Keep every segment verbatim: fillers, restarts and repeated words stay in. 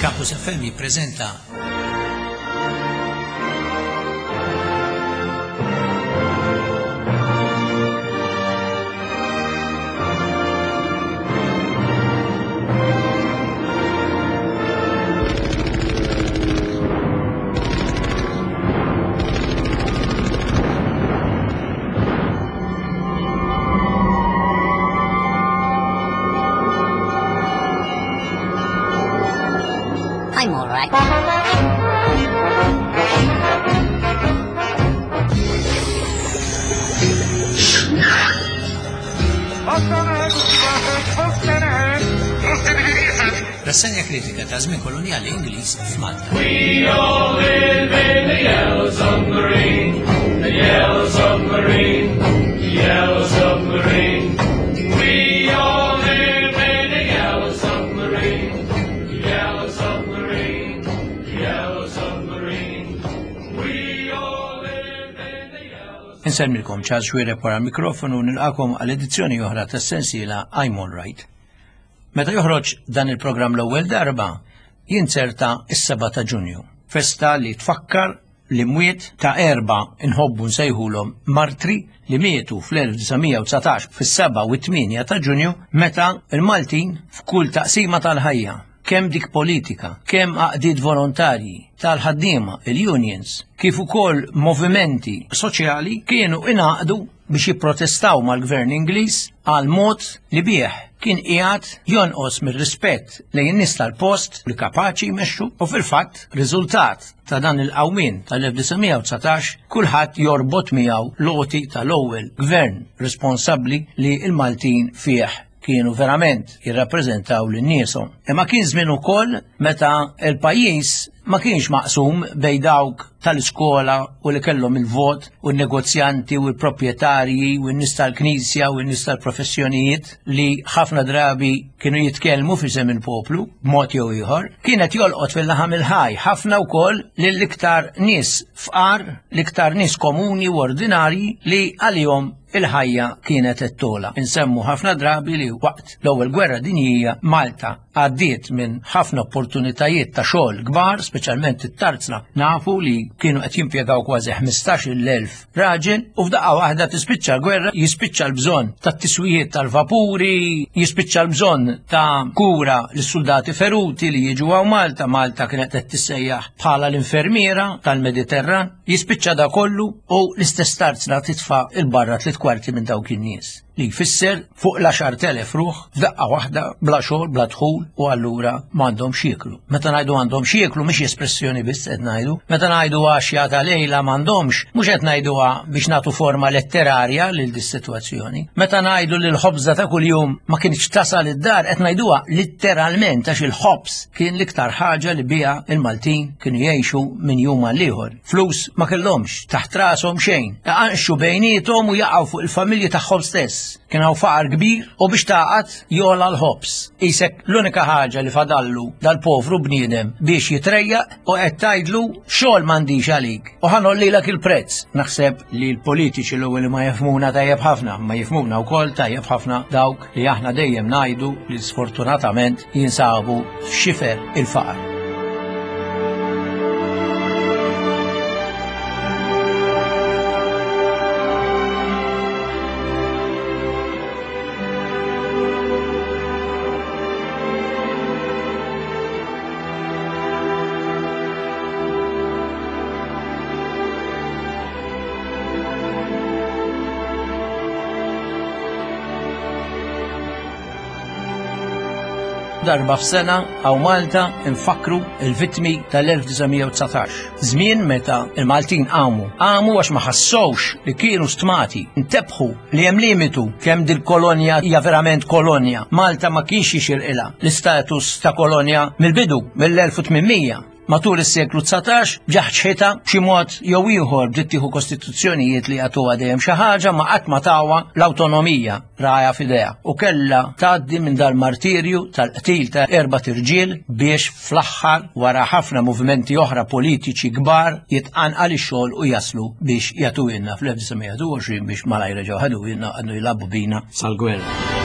Campus F M jippreżenta I'm all right. Rassegna kritika ta' żmien koloniali Ingliż f'Malta. We all live in the yellow submarine, the yellow submarine, the yellow submarine. We all live in the yellow submarine, the yellow submarine, the yellow submarine. We all live in the yellow Insellmilkom Charles Xuereb wara l-mikrofonu nilqakom għal edizzjoni oħra tas-sensiela I'm All Right. Meta joħroġ dan il-programm l-ewwel darba, jinzerta s-seba' ta' Ġunju, festa li tfakkar l-imwiet ta' erba' inħobbu nsejħulhom martri li mietu fl-elf disa' mija u dsatax fis-seba' u t-tmienja ta' Ġunju meta l-Maltin f'kull taqsima tal-ħajja, kemm dik politika, kemm għaqdiet volontarji tal-ħaddiema, il-unions, kif ukoll movimenti soċjali kienu ingħaqdu biex jipprotestaw mal-gvern Ingliż għal mod li bih kien qiegħed jonqos mir-rispett lejn nies tal-post li kapaċi jmexxu u fil-fatt riżultat ta' dan il-qawmien tal-elf disa' mija u dsatax kulħadd jorbot miegħu loti tal-ewwel gvern responsabbli li l-Maltin fih kienu verament jirrappreżentaw lil nieshom. Imma kien żmien ukoll meta l-pajjiż ma kienx maqsum bejn dawk tal-iskola u li kellhom il-vot u n-negozjanti u l-proprjetarji u n-nies tal-knisja u n-nies tal-professjonijiet li ħafna drabi kienu jitkellmu f'isem il-poplu b'mod jew ieħor, kienet jolqot fil-laħam il-ħaj ħafna wkoll lill-iktar nies fqar, l-iktar nies komuni u ordinarji li għalihom il-ħajja kienet qed tola. Insemmu ħafna drabi li waqt l-ewwel gwerra dinjija Malta għaddiet minn ħafna opportunitajiet ta' xogħol kbar, speċjalment it-tarzna. Nafu li kienu qed jimpjegaw kważi ħmistax-il elf raġel u f'daqqa waħda tispiċċa l-gwerra, jispiċċa l-bżonn tat-tiswijiet tal-vapuri, jispiċċa l-bżonn ta' kura lis-soldati feruti li jiġu hawn Malta. Malta kienet qed tissejjaħ bħala l-infermiera tal-Mediterran. Jispiċċa da kollu u l-istess tarzna titfa' il-barra tliet kwarti minn dawk in-nies li jfisser fuq l-għaxar telef ruħ f'daqqa waħda bla xogħol, bla dħul u allura m'għandhom x'jieklu. Meta ngħidu għandhom x'jieklu mhix espressjoni biss qed ngħidu, meta ngħidu għaxja ta' lejla m'għandhomx, mhux qed ngħiduha biex nagħtu forma letterarja lil dis-sitwazzjoni. Meta ngħidu li l-ħobża ta' kuljum ma kienx tasal id-dar qed ngħiduha letteralment għax il-ħobż kien l-iktar ħaġa li biha il-Maltin kienu jgħixu minn jum għal ieħor. Flus ma kellhomx, taħt rashom xejn, iqanxu bejniethom u jaqgħu fuq il-familji tagħhom stess. Kien hawn faqar kbir u biex taqgħad jola l-ħobż. Isek l-unika ħaġa li fadallu dal-povru bniedem biex jitrejjaq u qed tgħidlu xogħol m'għandix għalik u ħanollilek il-prezz. Naħseb li l-politiċi l-ewwel li ma jifhmuna tajjeb ħafna, ma jifhmuna wkoll tajjeb ħafna dawk li aħna dejjem ngħidu li sfortunatament jinsabu f'xifer il-faqar. Darba f'sena hawn Malta nfakru il-vittmi tal-elf disa' mija u dsatax. Żmien meta il-Maltin qamu. Qamu għax ma ħassowx li kienu stmati, intebħu li hemm limitu kemm dil-kolonja hija verament kolonja. Malta ma kienx jixirqilha l-istatus ta' kolonja mill-bidu mill-elf u tmien mija. Matul is-seklu dsatax ġaħġħitha b'xi mod jew ieħor bdiet tieħu kostituzzjonijiet li jagħtuha dejjem xi ħaġa ma qatt ma tawha l-awtonomija raja f'idejha u kellha tgħaddi minn dal-martirju tal-qtil ta' erba' tirġiel biex fl-aħħar wara ħafna movimenti oħra politiċi kbar jitqanqal ix-xogħol u jaslu biex jagħtuhilna fl-elf disa' mija u għoxrin biex malajr reġgħu ħaduhilna għadnu jilagħbu bina sal-gwerra.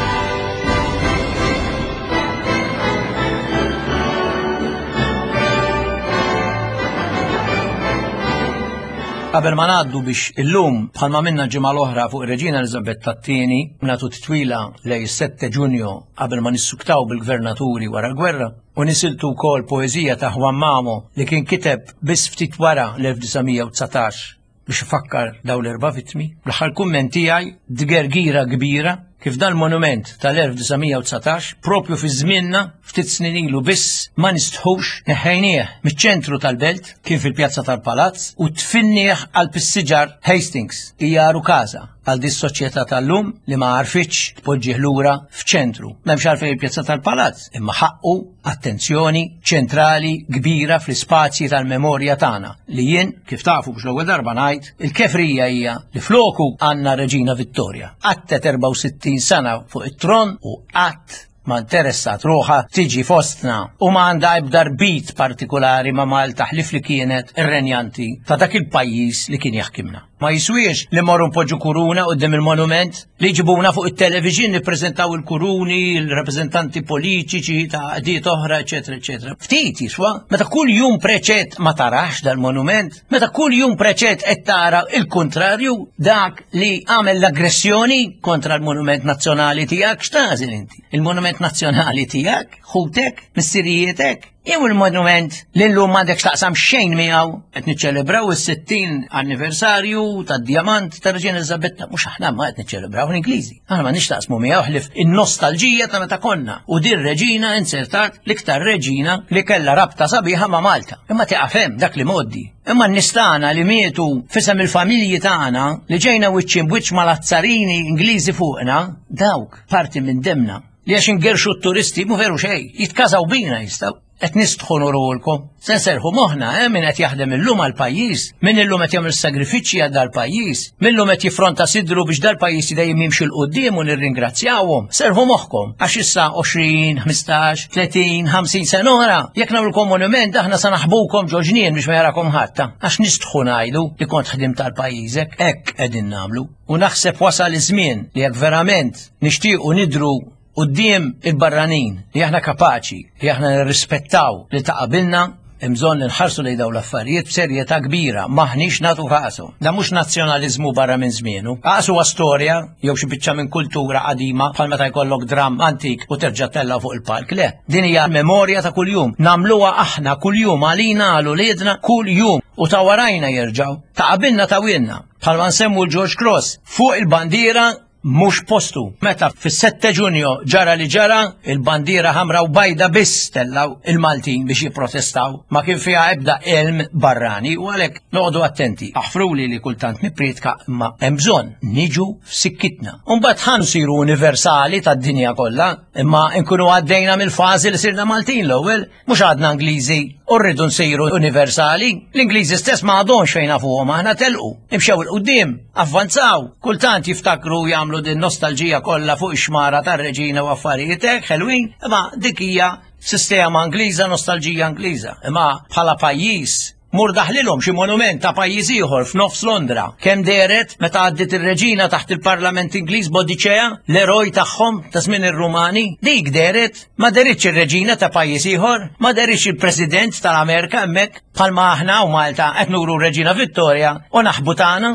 Qabel ma ngħaddu biex illum bħalma minna ġimgħa l-oħra fuq ir-Reġina Eliżabetta t-tieni nagħtu titwila lejn is-sette Ġunju qabel ma nissuktaw bil-gvernaturi wara l-gwerra u nisiltu wkoll poeżija ta' Juan Mamo li kien kiteb biss ftit wara l-elf disa' mija u dsatax biex ifakkar dawn l-erba' vittmi. L-aħħar kumment tiegħi dgergira kbira kif dal-monument tal-elf disa' mija u dsatax propju fi żmienna ftit snin ilu biss ma nistħux neħħejnieh miċ-ċentru tal-belt kien fil-pjazza tal-Palazz u tfinnieh għal pissiġar Hastings hija rukaża għal dis soċjetà tal-lum li ma għarfitx tpoġġih lura f'ċentru. M'hemmx għalfejn il-pjazza tal-Palazz, imma ħaqqu attenzjoni ċentrali kbira fl-ispazji tal-memorja tagħna li jien kif tafu biex l-ewwel darba ngħid il-kefrija hija li floku għandna Reġina Vittoria. Qattet erbgħa u sittin sena fuq it-tron u qatt ma interessat ruħha tiġi fostna u ma għandha ebda rbit partikolari ma' Malta ħlif li kienet ir-renjanti ta' dak il-pajjiż li kien jaħkimna. Ma jiswiex li morru npoġġu kuruna quddiem il-monument li jġibuna fuq it-television nippreżentaw il-kuruni, il-rappreżentanti politiċi ta' qdiet oħra, eċetera, eċetera. Ftit jiswa, meta kull jum preċett ma tarax dal-monument, meta kull jum preċett qed tara il-kontrarju dak li għamel l-aggressjoni kontra l-monument nazzjonali tiegħek, x'tażel inti? Il-monument nazzjonali tiegħek, ħutek, missirijietek, jew il-monument li llum m'għandek x'taqsam xejn miegħu qed niċċelebraw is-sittin anniversarju tad-djamant tar-Reġina Eliżabetta, mhux aħna ma qed niċċelebraw l-Ingliżi. Aħna ma nixtaqsmu miegħu ħlif in-nostalġija ta' meta konna u din reġina insertat l-iktar reġina li kellha rabta sabiħa ma' Malta. Imma tieqaf hemm dak li mgħoddi. Imma n-nies tagħna li mietu fisem il-familji tagħna li ġejna wiċċ imbwiċċ mal-azzarini Ingliżi fuqna, dawk parti minn demna. Li għax ingerxu t-turisti mu veru xejn, jitkażaw bina jistgħu. Qed nistħu nurulkom. Se nserħu moħħna, eh, min qed jaħdem illum għall-pajjiż, min illum qed jagħmel sagrifiċċji għal dal-pajjiż, min illum qed jiffronta sidru biex dal-pajjiż dejjem jimxi l quddiem u nirringrazzjawhom. Serħu moħħkom għax issa għoxrin, ħmistax, tletin, ħamsin sena oħra, jekk nagħmlulkom monument aħna sa naħbukom ġo ġnien biex ma jarakom ħadd, għax nistħu ngħidu li kont ħdimt tal-pajjiżek, hekk qegħdin nagħmlu. U naħseb wasal iż-żmien li jekk verament nixtiequ nidru quddiem il-barranin li aħna kapaċi, li aħna nirrispettaw li ta' qabilna, hemm bżonn li nħarsu lejn dawn l-affarijiet b'serjetà kbira, m'aħniex nagħtu kasu. Da mhux nazzjonaliżmu barra minn żmienu. Aqas huwa storja jew xi biċċa minn kultura qadima bħal meta jkollok dramm antik u terġa' tella' fuq il-palk. Le, din hija memorja ta' kuljum. Nagħmluha aħna kuljum għalina għal uliedna kuljum u ta' warajna jerġgħu. Ta' qabilna ta' wilna. Bħalma nsemmu l-George Cross fuq il-bandiera mhux postu. Meta fis-sette Ġunju ġara li ġara, il-bandiera ħamra u bajda biss tellaw il-Maltin biex jipprotestaw. Ma kien fiha ebda elm barrani u għalhekk noqogħdu attenti. Aħfruli li kultant nippriedka imma hemm bżonn niġu f'sikkitna. U mbagħad ħa nsiru universali tad-dinja kollha, imma nkunu għaddejna mill-fażi li sirna Maltin l-ewwel, mhux għadna Ingliżi u rridu nsiru universali. L-Ingliżi stess ma għadhomx fejn nafuhom aħna telqu, imxew il-qudiem, avvanzaw, kultant jiftakru jagħmlu din nostalġija kollha fuq ix-xmara tar-reġina u affarijiet hekk ħelwin, imma dik hija sistema Ingliża, nostalġija Ingliża. Imma bħala pajjiż mur daħlilhom xi monument ta' pajjiż ieħor f'nofs Londra. Kemm dehret meta għaddiet ir-reġina taħt il-Parlament Ingliż Bodicea, l-eroj tagħhom ta' żmien ir-Rumani, dik dehret, ma deritx ir-reġina ta' pajjiż ieħor, ma deritx il-President tal-Amerika hemmhekk bħalma aħna u Malta qed nuru r-Reġina Vittoria u naħbu tagħna.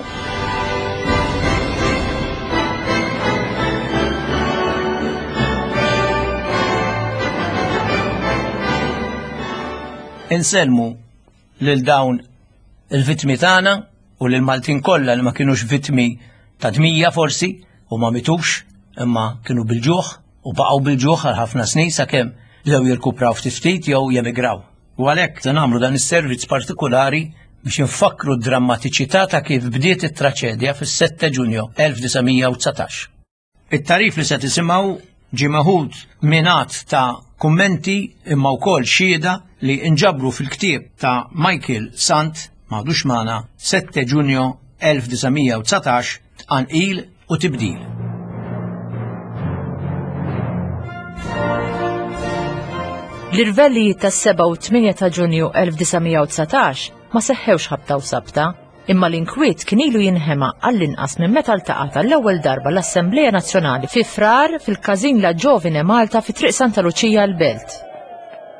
Insellmu lil dawn il-vittmi tagħna u lil Maltin kollha li ma kinux vittmi ta' dmija forsi u ma mitux imma kienu bil-ġuħ u baqgħu bil-ġuħ għal ħafna snin sakemm bdew jirkupraw ftit ftit jew jemigraw. U għalhekk se nagħmlu dan is-servizz partikolari biex infakkru d-drammatiċità ta' kif bdiet it-traċedja fis-sette Ġunju elf disa' mija u dsatax. It-tarif li se tisimgħu ġie meħud minn għadd ta' kummenti imma wkoll xhieda li nġabru fil-ktieb ta' Michael Sant m'għadux magħna sette Ġunju elf disa' mija u dsatax tqanqil u tibdil. L-irvellijiet tas-seba' u tmienja ta' Ġunju elf disa' mija u dsatax ma seħħewx ħabta u sabta, imma l-inkwiet kien ilu jinħema għall-inqas minn meta ltaqgħet għall-ewwel darba l-Assembleja Nazzjonali fi Frar fil-Każin La Giovine Malta fi Triq Santa Luċija l-Belt.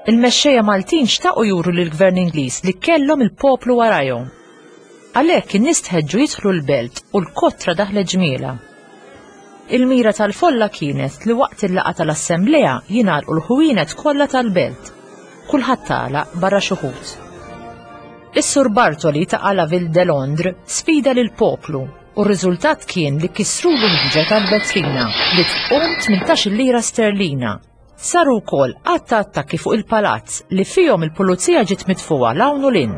Il-mexxejja Maltin xtaqu juru lill-Gvern Ingliż li kellhom il-poplu warajhom. Għalhekk in-nies tħeġġu jidħlu l-belt u l-kotra daħlet ġmiela. Il-mira tal-folla kienet li waqt il-laqgħa tal-assemblea jingħalqu l-ħwienet kollha tal-belt. Kulħadd tagħlaq barra xi wħud. Is-Sur Bartoli ta' La Ville de Londres sfida lill-poplu u r-riżultat kien li kisrulu l-ħġa tal-vetrina li tqum tmintax-il lira sterlina. Saru wkoll għadd ta' attakki fuq il-palazz li fihom il-pulizija ġiet mitfuha 'l hawn u 'l hinn.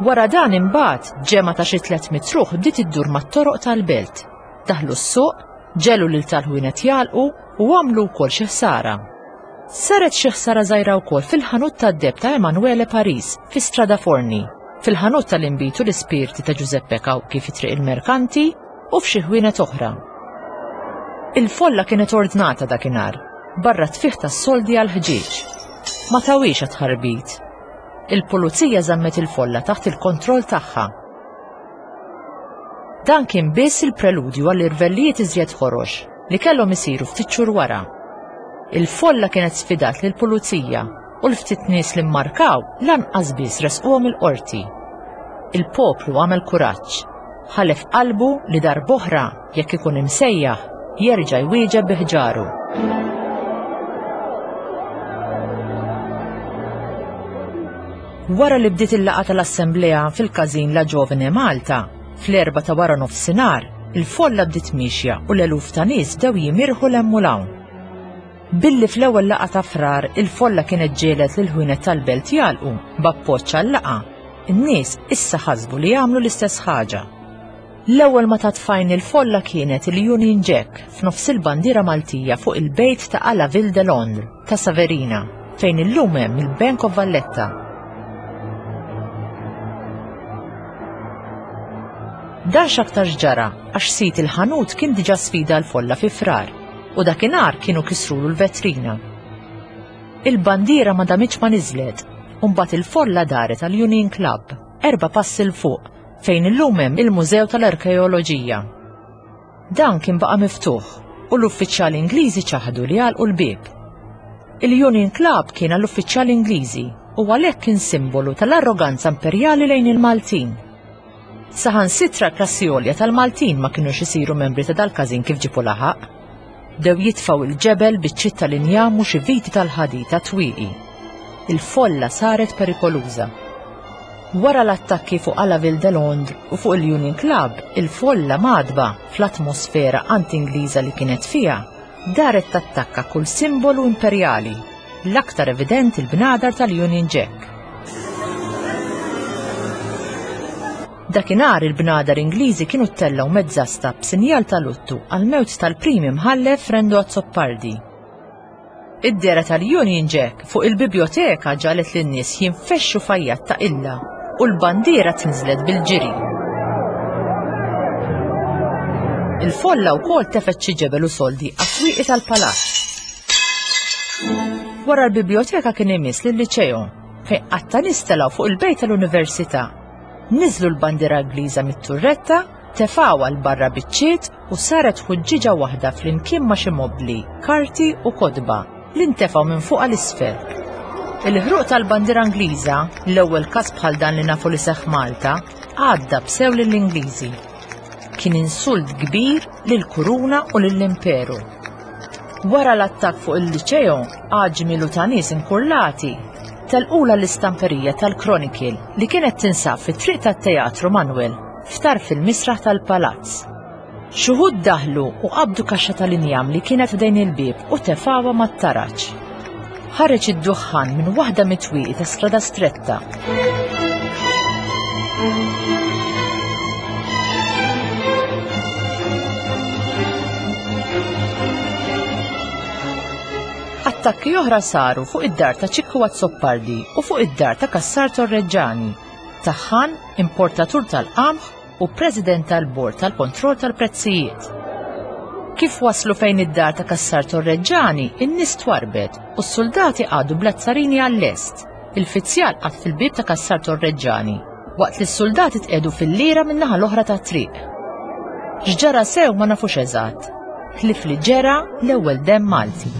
Wara dan imbagħad ġemgħa ta' xi tliet mitt ruħ bdiet iddur mat-toroq tal-belt. Daħlu s-suq, ġelu lil tal-ħwienet jagħlqu u għamlu wkoll xi ħsara. Saret xi ħsara żgħira wkoll fil-ħanut tad-deheb ta' Emanuele Paris fi Strada Forni, fil-ħanut tal-inbid u l-ispirti ta' Giuseppe Cauchi fi Triq il-Merkanti u f'xi ħwienet oħra. Il-folla kienet ordnata dakinhar, barra tfih tas-soldi għal ħġieġ. Ma tawiex għat-tħarbit. Il-pulizija żammet il-folla taħt il-kontroll tagħha. Dan kien biss il-preludju għall-irvellijiet iżjed ħorox li kellhom isiru ftit xhur wara. Il-folla kienet sfidat lill-pulizija u l-ftit nies li mmarkaw lanqas biss resquhom il-qorti. Il-poplu għamel kuraġġ, ħalef qalbu li darb'oħra jekk ikun imsejjaħ jerġa' jwieġeb bi ħġaru. Wara li bdiet il-laqgħa tal-Assemblea fil-Każin La Giovine Malta, fl-erba ta' wara nofsinhar, il-folla bdiet miexja u l-eluf ta' nies bdew jimirħu 'l hemm u 'l hawn. Billi fl-ewwel laqgħa ta' Frar il-folla kienet ġielet lil ħwienet tal-belt jagħlqu b'appoġġ għal-laqgħa, in-nies issa ħasbu li jagħmlu l-istess ħaġa. L-ewwel ma tat fajn il-folla kienet il-Union Jack f'nofs il-bandiera Maltija fuq il-bejt ta' À la Ville de Londres ta' Saverina, fejn illum hemm il-Bank of Valletta. Dan x'aktar ġara għax sid il-ħanut kien diġà sfida l-folla fi Frar u dakinhar kienu kisrulu l-vetrina. Il-bandiera ma damitx ma niżlet u mbagħad il-folla daret għal Union Club, erba' passi 'l fuq, fejn illum hemm il-Mużew tal-Arkeoloġija. Dan kien baqa' miftuħ u l-uffiċjali Ingliżi ċaħdu li għalqu l-bieb. Il-Union Club kien għall-uffiċjali Ingliżi u għalhekk kien simbolu tal-arroganza imperjali lejn il-Maltin. Saħansitra klassi għolja tal-Maltin ma kinux isiru membri ta' dal-każin kif ġipu laħaq. Bdew jitfgħu il-ġebel biċ-ċitt tal-injam u xi viti tal-ħadid ta' twieqi. Il-folla saret perikoluża. Wara l-attakki fuq À la Ville de Londres u fuq il-Union Club, il-folla madba fl-atmosfera anti-Ingliża li kienet fiha, daret tattakka kull simbolu imperjali, l-aktar evidenti l-bnadar tal-Union Jack. Dakinhar il-bnadar Ingliżi kienu ttellgħu mezzasta b'sinjal ta' luttu għal-mewt tal-prim imħallef Frendo Azzopardi. Id-dehra tal-Union Jack fuq il-biblioteka ġagħlet lin-nies jinfexxu f'għajjat ta' illa u l-bandiera tinżlet bil-ġiri. Il-folla wkoll tefgħet xi ġebel u soldi għat-twieqi tal-palazz. Wara l-biblioteka kien imiss lil-liċeo fejn qatta nies telgħu fuq il-bejt tal-università. Niżlu l-bandiera Ingliża mit-turretta, tefgħuha 'l barra biċ-ċiet u saret ħuġġiġa waħda flimkien ma' xi mobbli, karti u kotba li ntefgħu minn fuq għal isfel. Il-ħruq tal-bandiera Ingliża, l-ewwel każ bħal dan li nafu li seħħ Malta, għadda b'sew lill-Ingliżi. Kien insult kbir lill-kuruna u lill-imperu. Wara l-attakk fuq il-liċeo, għaġmilu ta' nies inkurlati telqula l-istamperija tal-Chronicle li kienet tinsab fit-triq tat-Teatru Manuel f'tarf il-misraħ tal-palazz. Xi wħud daħlu u qabdu kaxxa tal-injam li kienet f'dejn il-bieb u tefgħuha mat-taraġ. Ħareġ id-duħħan minn waħda mit-twieqi ta' Strada Stretta. Attakki oħra saru fuq id-dar ta' Ċikku Azzopardi u fuq id-dar ta' Cassar Torreġġani, taħħan, importatur tal-qamħ u president tal-bord tal-kontroll tal-prezzijiet. Kif waslu fejn id-dar ta' Cassar Torreġġani, in-nies twarbet u s-soldati qagħdu bl-azzarini għall-lest. Il-fizzjal qagħad fil-bieb ta' Cassar Torreġġani, waqt li s-soldati tqiegħdu fil-lira min-naħa l-oħra tat-triq. X'ġara sew ma nafux eżatt, ħlief li ġera l-ewwel demm Malti.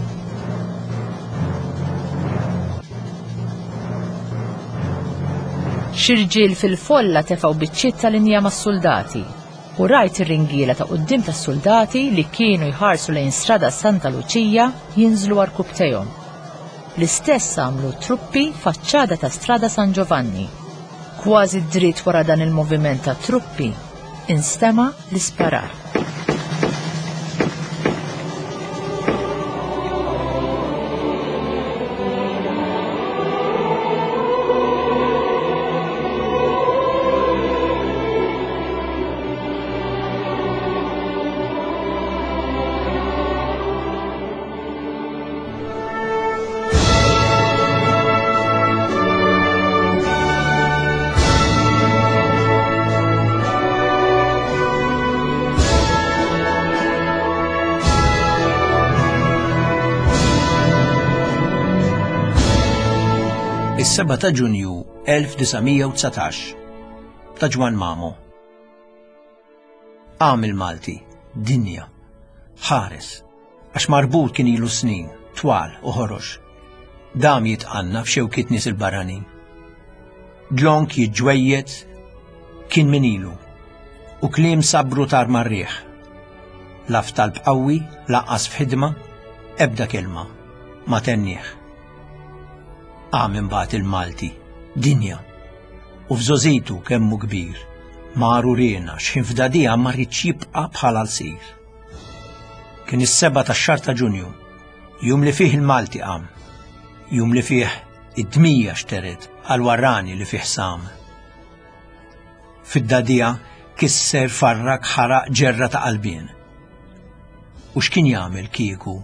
Xi rġiel fil-folla tefgħu biċċiet tal-inja mas-soldati u rajt ir-ringiela ta' quddiem tas-soldati li kienu jħarsu lejn Strada Santa Luċija jinżlu għarkupptejhom. L-istess għamlu truppi faċċada ta' Strada San Giovanni. Kważi dritt wara dan il-moviment ta' truppi, instema' l-isparar. Is-seba' ta' Ġunju elf disa' mija u dsatax ta' Ġwann Mamo. Qam il-Malti, dinja, ħares, għax marbut kien ilu snin, twal u ħorox. Dam jitqanna f'xewkiet nies il-barranin. Dlonk jiġġwejjed kien min ilu, u kliem sabru tar marriħ. La f'talb qawwi, lanqas f'ħidma, ebda kelma, ma tennieh. Qam imbagħad il-Malti, dinja, u f'żożitu kemmu kbir, maru riena x'ħin f'dadija ma rridx jibqa' bħala l-sir. Kien is-seba' tax-xahar ta' Ġunju, jum li fih il-Malti qam, jum li fih id-dmija xteret għal warrani li fih sam. Fid-dadija kisser farrak ħaraq ġerra ta' qalbien. U x'kien jagħmel kieku?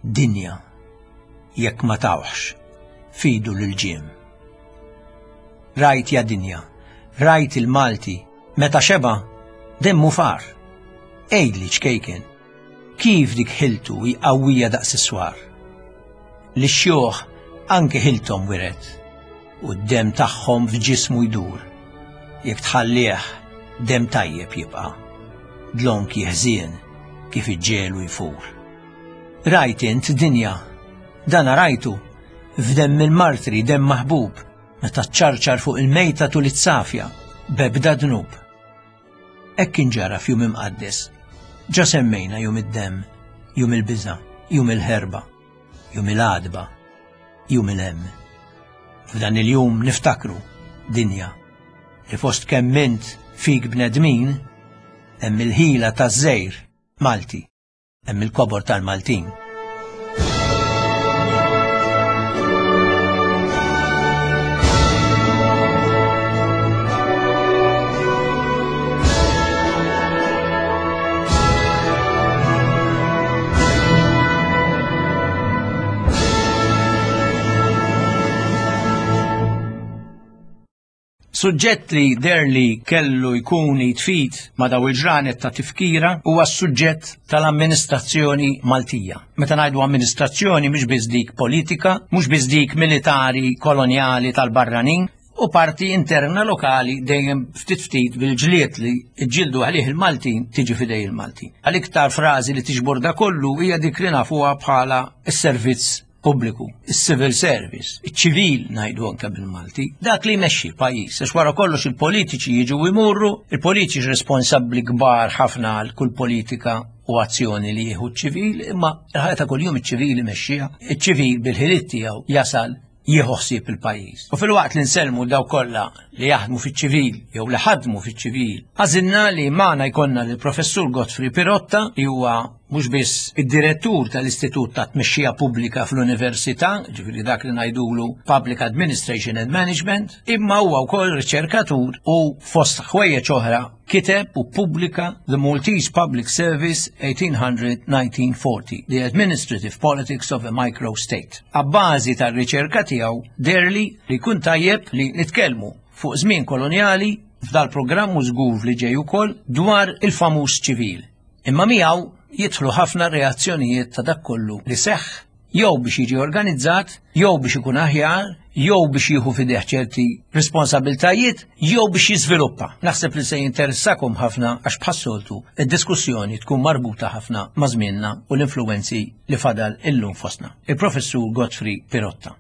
Dinja, jekk ma tawħx, fidu l-ġiem. Rajt ja dinja, rajt il-Malti, meta xeba, demmu far. Ejdli ċkejken, kif dik ħiltu hi qawwija daqs is-swar. Li x-xjuħ anke ħilthom wiret, u d-dem tagħhom f'ġismu jdur. Jekk tħallih, dem tajjeb jibqa', dlonk jeħżien kif iġġelu jfur. Rajt int dinja, dana rajtu, f'demm il-martri demm maħbub, meta ċċarċar fuq il-mejta tul it-safja, b'ebda dnub. Hekk kien ġara f'jum imqaddes. Ġa semmejna jum id-demm, jum il-biża', jum il-ħerba, jum il-għadba, jum il-hemm. F'dan il-jum niftakru, dinja, li fost kemm int fik bnedmin, hemm il-ħila taż-żejr Malti, hemm il-kobor tal-Maltin. Suġġett li der li kellu jkun jitfit ma' daw il-ġranet ta' tifkira huwa s-suġġett tal-amministrazzjoni Maltija. Meta ngħidu amministrazzjoni mhux biss dik politika, mhux biss dik militari kolonjali tal-barranin, u parti interna lokali dejjem ftit ftit bil-ġlied li ġġieldu għalih il-Maltin tiġi fidej il-Maltin. Għal-iktar frażi li tiġbor da kollu hija dik li nafuha bħala s-servizz pubbliku, is-civil service, iċ-ċivil ngħidu anke bil-Malti, dak li jmexxi l-pajjiż, għax wara kollox il-politiċi jiġu jmurru, il-politiċi responsabbli kbar ħafna għal kull politika u azzjoni li jieħu ċ-ċivil, imma l-ħajja ta' kuljum iċ-ċivil imexxiha, iċ-ċivil bil-ħiliet tiegħu jasal jieħu ħsieb il-pajjiż. U fil-waqt li nsellmu daw kollha li jaħdmu fiċ-ċivil jew li ħadmu fiċ-ċivil, għażilna li magħna jkollna lill-Professur Godfrey Pirotta, li huwa mhux biss id-direttur tal-Istitut ta' Tmexxija Pubblika fl-Università, ġifieri dak li ngħidulu Public Administration and Management, imma huwa wkoll riċerkatur u fost ħwejjeġ oħra kiteb u ppubblika The Maltese Public Service eighteen hundred nineteen forty, The Administrative Politics of a Microstate. Abbażi tar-riċerka tiegħu deherli li jkun tajjeb li nitkellmu fuq żmien kolonjali f'dal programm u żgur li ġej ukoll dwar il-famuż ċivil. Imma miegħu jidħlu ħafna reazzjonijiet ta' dak kollu li seħħ jew biex jiġi organizzat, jew biex ikun aħjar, jew biex jieħu f'idejh ċerti responsabiltajiet, jew biex jiżviluppa. Naħseb li se jinteressakom ħafna għax bħas-soltu id-diskussjoni tkun marbuta ħafna ma' żmienna u l-influwenzi li fadal illum fostna. Il-Professur Godfrey Pirotta.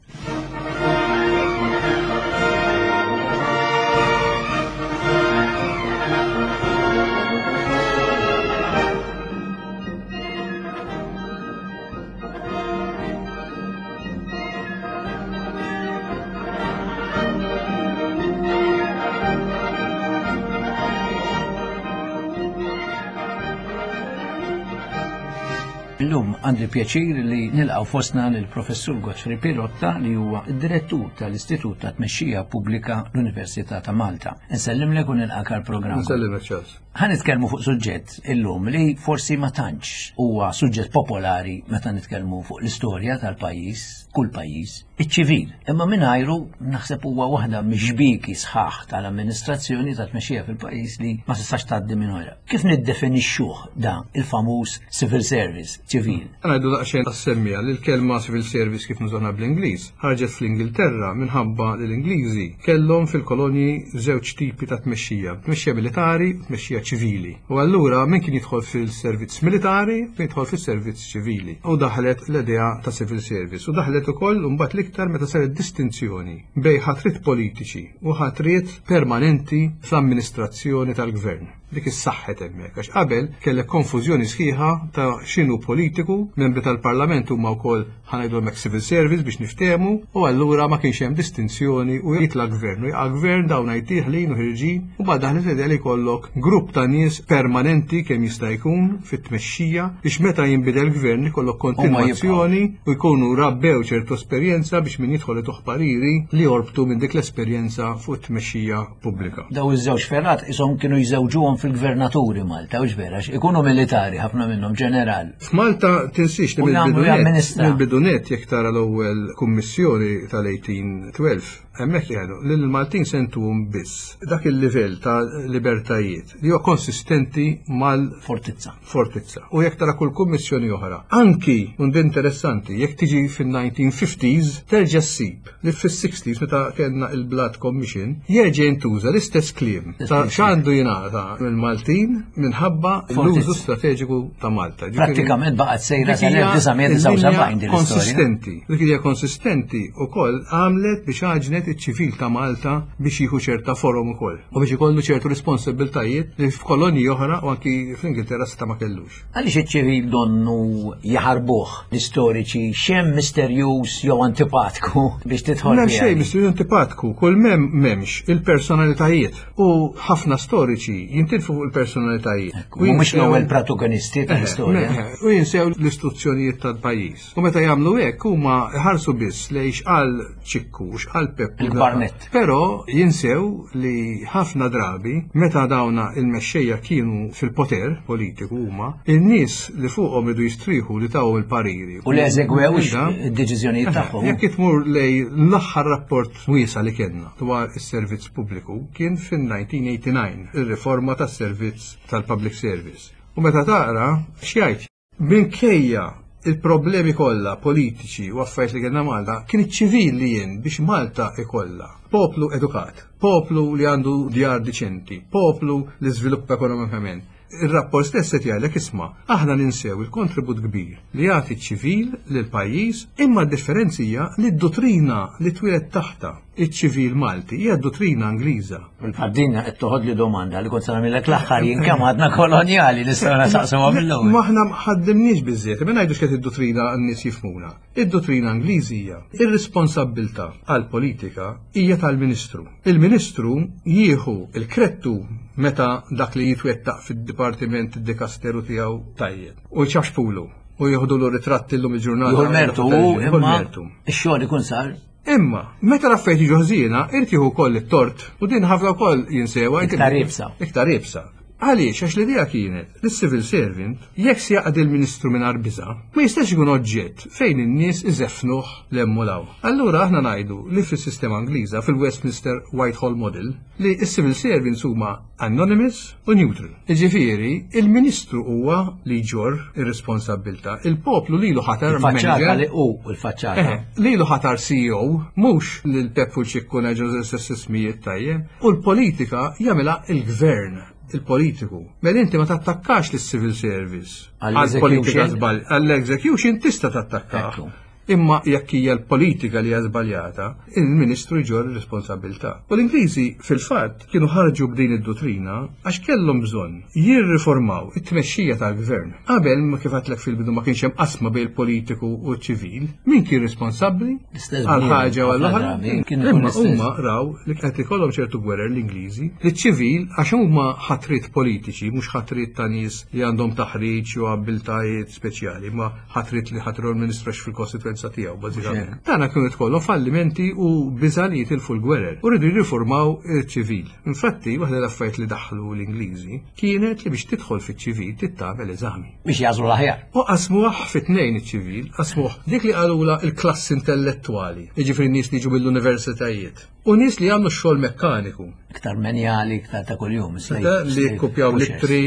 Illum għandi pjaċir li nilqgħu fostna lill-Professur Godfrey Pirotta, li huwa id-direttur tal-Istitut ta' Tmexxija Pubblika l-Università ta' Malta. Insellimlek u nilqak għall-programm. Nsellimek, Charles. Ħa nitkellmu fuq suġġett illum li forsi ma tantx huwa suġġett popolari meta nitkellmu fuq l-istorja tal-pajjiż, kull pajjiż, iċ-ċivil. Imma mingħajru naħseb huwa waħda mix-xbieki sħaħ tal-amministrazzjoni ta' tmexxija fil-pajjiż li ma tistax tgħaddi minn oħra. Kif niddefinixxuh dan il-famuż civil service, ċivil? Ngħidu daqsxejn tas-semmija li l-kelma civil service, kif nużawha bl-Ingliż, ħarġet fl-Ingilterra minħabba li l-Ingliżi kellhom fil-kolonji żewġ tipi ta' tmexxija, tmexxija militari u tmexxija ċivili. U allura min kien jidħol fil-servizz militari, kien jidħol fil-servizz ċivili. U daħlet l-idea ta' civil service. U daħlet ukoll mbagħad l-iktar meta saret distinzjoni bejn ħatriet politiċi u ħatriet permanenti fl-amministrazzjoni tal-gvern. Dik is-saħħet hemmhekk, għax qabel kellek konfużjoni sħiħa ta' x'inhu politiku, membri tal-Parlament huma wkoll, ħa ngħidu hemmhekk, civil service biex niftehmu, u allura ma kienx hemm distinzjoni u jitla' gvern u jaqa' gvern, dawn deħlin u ħerġin, u bad daħlet l-idea li jkollok grupp ta' nies permanenti kemm jista' jkun fit-tmexxija biex meta jinbidel gvern ikollok kontinwazzjoni u jkunu rabbew ċertu esperjenza biex min jidħol ituh pariri li jorbtu minn dik l-esperjenza fuq it-tmexxija pubblika. Daw iż-żewġ fergħat ishom kienu jżewġuhom fil-gvernaturi Malta, u vera, ikunu militari, ħafna minnhom ġeneral. F'Malta tinsiex li U jagħmlu mill-bidu nett, jamministra. mill-bidu nett, jekk tara l-ewwel kummissjoni tal-eighteen twelve, hemmhekk jgħidu li l-Maltin sentuhom biss dak il-livell ta' libertajiet li huwa konsistenti mal Fortizza. Fortizza. U jekk tara kull kummissjoni oħra, anki, und interessanti, jekk tiġi fin-nineteen fifties, terġa' ssib li fis-sixties, meta kellna il-Blood Commission, jerġa' jintuża l-istess kliem ta' x'għandu jingħata mill-Maltin minħabba l-użu strateġiku ta' Malta. Ġifieri- Prattikament baqgħet sejra Dik hija sal-elf disa' mija disgħa u sebgħin din l-istorja. konsistenti. Dik hija konsistenti ukoll għamlet biex għaġnet iċ-ċivil ta' Malta biex jieħu ċerta forom ukoll u biex ikollu ċertu responsabiltajiet li f'kolonji oħra u anki fl-Ingilterra seta' ma kellux. Għaliex iċ-ċivil donnu jaħarbuh l-istoriċi, x'hemm misterjuż jew antipatku biex tidħol M'hemm fiha? xejn misterju antipatku, kull m'hemm m'hemmx il-personalitajiet u ħafna storiċi jintilfu fuq il-personalitajiet. U Mhumiex jinsew- l-ewwel protagonisti tal-istorja. Eh, U jinsew l-istituzzjonijiet tal-pajjiż. U meta jagħmlu hekk huma ħarsu biss lejn x'qal Ċikku, x'qal Peppu. Il-Barnett. Però jinsew li ħafna drabi meta dawna il-mexxejja kienu fil-poter politiku huma, in-nies li fuqhom idu jistrieħu li tawhom il-pariri. U li eżegwewx Da. id-deċiżjonijiet tagħhom. Jekk tmur lej l-aħħar rapport wiesa li kellna dwar is-servizz pubbliku kien fin-nineteen eighty-nine, ir-riforma tas-servizz tal-public service. U meta taqra x'jgħid? Minkejja il-problemi kollha politiċi u affarijiet li kellna Malta, kien iċ-ċivil li jien biex Malta ikollha poplu edukat, poplu li għandu djar diċenti, poplu li żviluppa ekonomikament. Il-rapport stess qed jgħidlek, isma', aħna ninsew il-kontribut kbir li jagħti ċ-ċivil lil pajjiż, imma d-differenza hija li d-dottrina li twieled taħta iċ-ċivil Malti hija d-dottrina Ingliża. Fil-fatt qed toħod li domanda li kont se nagħmilek l-aħħar jien, kemm għadna kolonjali, nistgħu nistaqsuha mill-ewwel. Ma aħna ma ħaddimniex biżżejjed, ma ngħidux kif id-dottrina n-nies jifhmuna. Id-dottrina Ingliżi hija ir-responsabbiltà għal-politika hija tal-Ministru. Il-Ministru jieħu il-krettu meta dak li jitwettaq fid-dipartiment, id-dikasteru tiegħu tajjeb. U jċaxpulu u jieħdu l ritratti llum il-ġurnata. Jieħu l-mertu u Jieħu imma l-mertu. ix-xogħol ikun sar. Imma, meta l-affarijiet jiġu ħżiena, irid jieħu wkoll it-tort u din ħafna wkoll jinsewha. Iktar iebsa. Iktar iebsa. Għaliex, għax l-idea kienet li civil servant, jekk se jaqdi l-ministru minn biża, ma jistax ikun oġġett fejn in-nies iżefnuh l-emmulaw. Allura aħna ngħidu li fis-sistema Ingliża, fil-Westminster Whitehall Model, li s-civil servants huma anonymous u neutral. Jiġifieri, il-ministru huwa li jġorr ir-responsabbiltà, il-poplu lilu ħatar Il-faċċata manager. li u il-faċċata. Eh, lilu ħatar C E O, mhux lil Peppu, Ċikku, ngħidu ismijiet tajjeb, u l-politika jagħmilha il-gvern, il-politiku. Mela inti ma tattakkax lis civil service. Għall-execution? Għall-politika żball, għall-execution tista' tattakka. Ekku. Imma jekk hija l-politika li hija żbaljata, il-Ministru jġorr ir-responsabilità. U l-Ingliżi fil-fatt kienu ħarġu b'din id-dottrina għax kellhom bżonn jirriformaw it-tmexxija tal-gvern. Qabel ma kif għedtlek fil-bidu ma kienx hemm qasma bejn il-politiku u ċ-ċivil, min kien responsabbli L-istess għal ħaġa u għall ħafna oħra. drabi, kien ikun Imma l-istess. huma raw li qed ikollhom ċertu gwerer l-Ingliżi li ċ-ċivil għax huma ħatrit politiċi, mhux ħatrit ta' nies li għandhom taħriġ u abbiltajiet speċjali, ma ħatrit li ħatru l-ministru għax fil-kostituenza tiegħu bażikament. Tana kienu tkollhom fallimenti u biża' li jitilfu l-gwerer u rridu jirriformaw il-ċivil. Infatti, waħda l-affarijiet li daħlu l-Ingliżi kienet li biex tidħol fiċ-ċivil trid tagħmel eżami. Biex jagħżlu l-aħjar. U qasmuh fit-tnejn iċ-ċivil, qasmuh dik li qalula il-klassi intellettuali, jiġifieri nies li jiġu mill-universitajiet. U nies li għamlu xogħol mekkaniku. Iktar menjali, iktar ta' kuljum. Ta' li kopjaw l-ittri,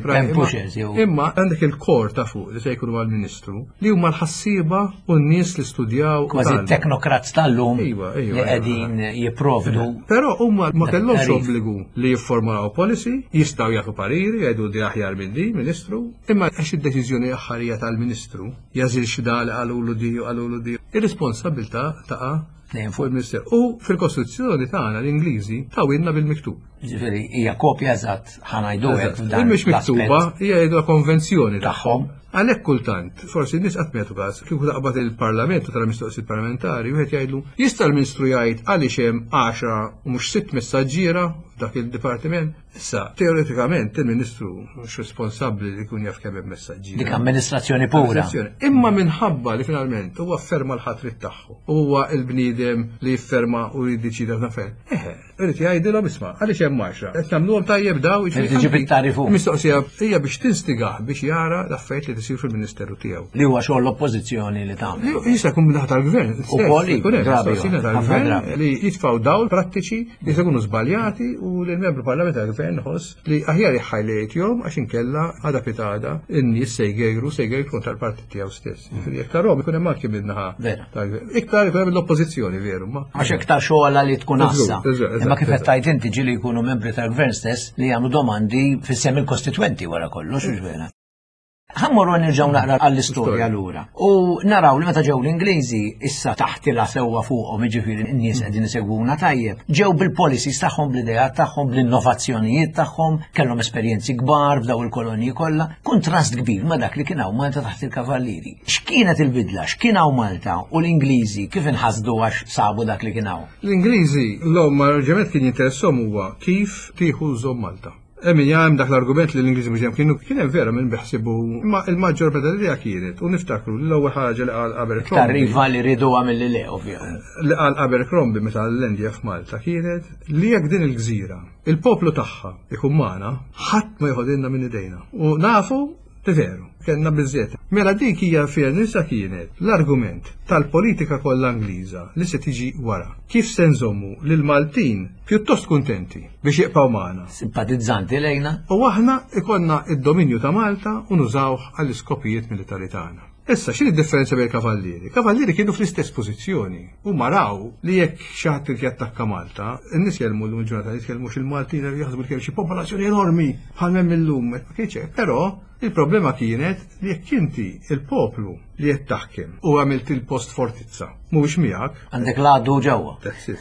Pen pushers, jew. Imma għandek il-kor ta' fuq li se jkunu għal-ministru li huma l-ħassiba u n-nies li studjaw. u Kważi tgħallmu. teknokrat tal-lum Iva, iva, li iva. qegħdin jipprovdu. Però huma ma kellhomx Tarif. obbligu li jifformulaw policy, jistgħu jagħtu pariri, jgħidu di aħjar minn di, ministru, imma għax id-deċiżjoni aħħarija tal-ministru jażil xi dal qalulu di u qalulu di. Ir-responsabilità taqa' Dejjem fuq il-Ministeru. U fil-Kostituzzjoni tagħna l-Ingliżi tawilna bil-miktub. Ġifieri hija kopja eżatt ħa ngħidu hekk f'dan Mhix miktuba, l-aspett hija jgħidu konvenzjoni tagħhom. Għalhekk kultant, forsi n-nies qatt ma jagħtu każ, kieku taqbad il-Parlament u tara mistoqsijiet parlamentari, wieħed jgħidlu, jista' l-Ministru jgħid għaliex hemm għaxra u mhux sitt messaġġiera f'dak il-dipartiment. Issa, teoretikament il-Ministru mhux responsabbli li jkun jaf kemm hemm messaġġiera. Dik amministrazzjoni pura. Amministrazzjoni. Imma minħabba li finalment huwa afferma l-ħatrit tagħhu. Huwa il-bniedem li jifferma u jiddeċida f'nafel. Eħe, irid jgħidilhom isma' għaliex hemm għaxra. Qed nagħmluhom tajjeb daw, Irid iġib it-tarif hu. Mistoqsija hija biex tinstigah biex jara l-affarijiet li tisir fil-Ministeru tiegħu. Li huwa xogħol l-oppożizzjoni li tagħmel. Li Jista' jkun min-naħa tal-gvern. Ukoll, jkun hemm drabi, mistoqsija ħafna tal-gvern drabi. li jitfgħu dawl prattiċi li se jkunu żbaljati u li l-membru parlamentari tal-gvern ħoss li aħjar jħajlejthom għax inkella għada pitgħada in-nies se jgejru se jgejru kontra l-partit tiegħu stess. Jiġifieri jekk tarahom ikun hemm anki min-naħa Vera. tal-gvern. Iktar ikun hemm l-oppożizzjoni veru, ma. Għax iktar xogħol li tkun assa. Eżatt, eżatt, Imma kif qed eżatt. tgħid inti ġieli jkunu membri tal-gvern stess li jagħmlu domandi f'isem il-kostitwenti wara kollox, hux vera. Ħa mmorru nirġgħu naqra għall-istorja Istorja. lura. U naraw li meta ġew l-Ingliżi issa taħtila sewwa fuqhom, jiġifieri n-nies qegħdin isegwuna tajjeb. Ġew bil-policies tagħhom, bl-ideat tagħhom, bl-innovazzjonijiet tagħhom, kellhom esperjenzi kbar f'daw il-kolonji kollha, kontrast kbir ma' dak li kien hawn Malta taħt il-Kavallieri. X'kienet il-bidla? X'kien hawn Malta u l-Ingliżi kif inħasdu għax sabu dak li kien hawn? L-Ingliżi l-om arġament kien jinteressom huwa kif tieħu żomm Malta. Emin hemm dak l-argument li l-Ingliżi mhux hemm kienu kien hemm vera minn beħsibu imma il-maġġor parti kienet u niftakru li l-ewwel ħaġa li qal Iktar Abercrombie iva li riduha milli le, ovvjament. li qal Abercrombie meta l-Indja f'Malta kienet li jekk din il-gżira il-poplu tagħha ikun magħna ħadd ma joħodilna minn idejna. U nafu li veru, kellna biżżejjed. Mela dik hija fiha nisa kienet l-argument tal-politika kollha Ingliża li se tiġi wara. Kif se nżommu lil Maltin pjuttost kuntenti biex jibqgħu magħna. Simpatizzanti lejna. U aħna ikollna id-dominju ta' Malta u nużawh għall-iskopijiet militari tagħna. Issa, x'inhi d-differenza bejn kavallieri? Kavallieri kienu fl-istess pożizzjoni. U maraw li jekk xi ħadd irid jattakka Malta, in-nies jellmu llum il-ġurnata jitkellmux il-Maltin jaħsbu li kemm xi popolazzjoni enormi bħal m'hemm illum. Ma kienx hekk. Però il-problema kienet li jekk inti il-poplu li qed taħkem u għamilt il-post fortizza, mhuwiex miegħek, Għandek l-għadu ġewwa. that's it.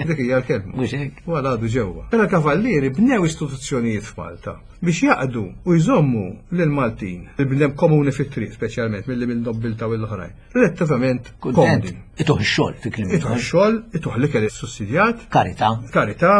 Dik hija l-kelma. Mhux hekk? U għadu ġewwa. Mela kavallieri bnew istituzzjonijiet f'Malta biex jaqdu u jżommu lil Maltin, il-bnedem komuni fit-triq speċjalment milli minn nobbilta u l-oħrajn, relattivament Kuntent. komdi. Ituh ix-xogħol fi kliem. Ituh xogħol, ituh l-ikel sussidjat, Karità. karità,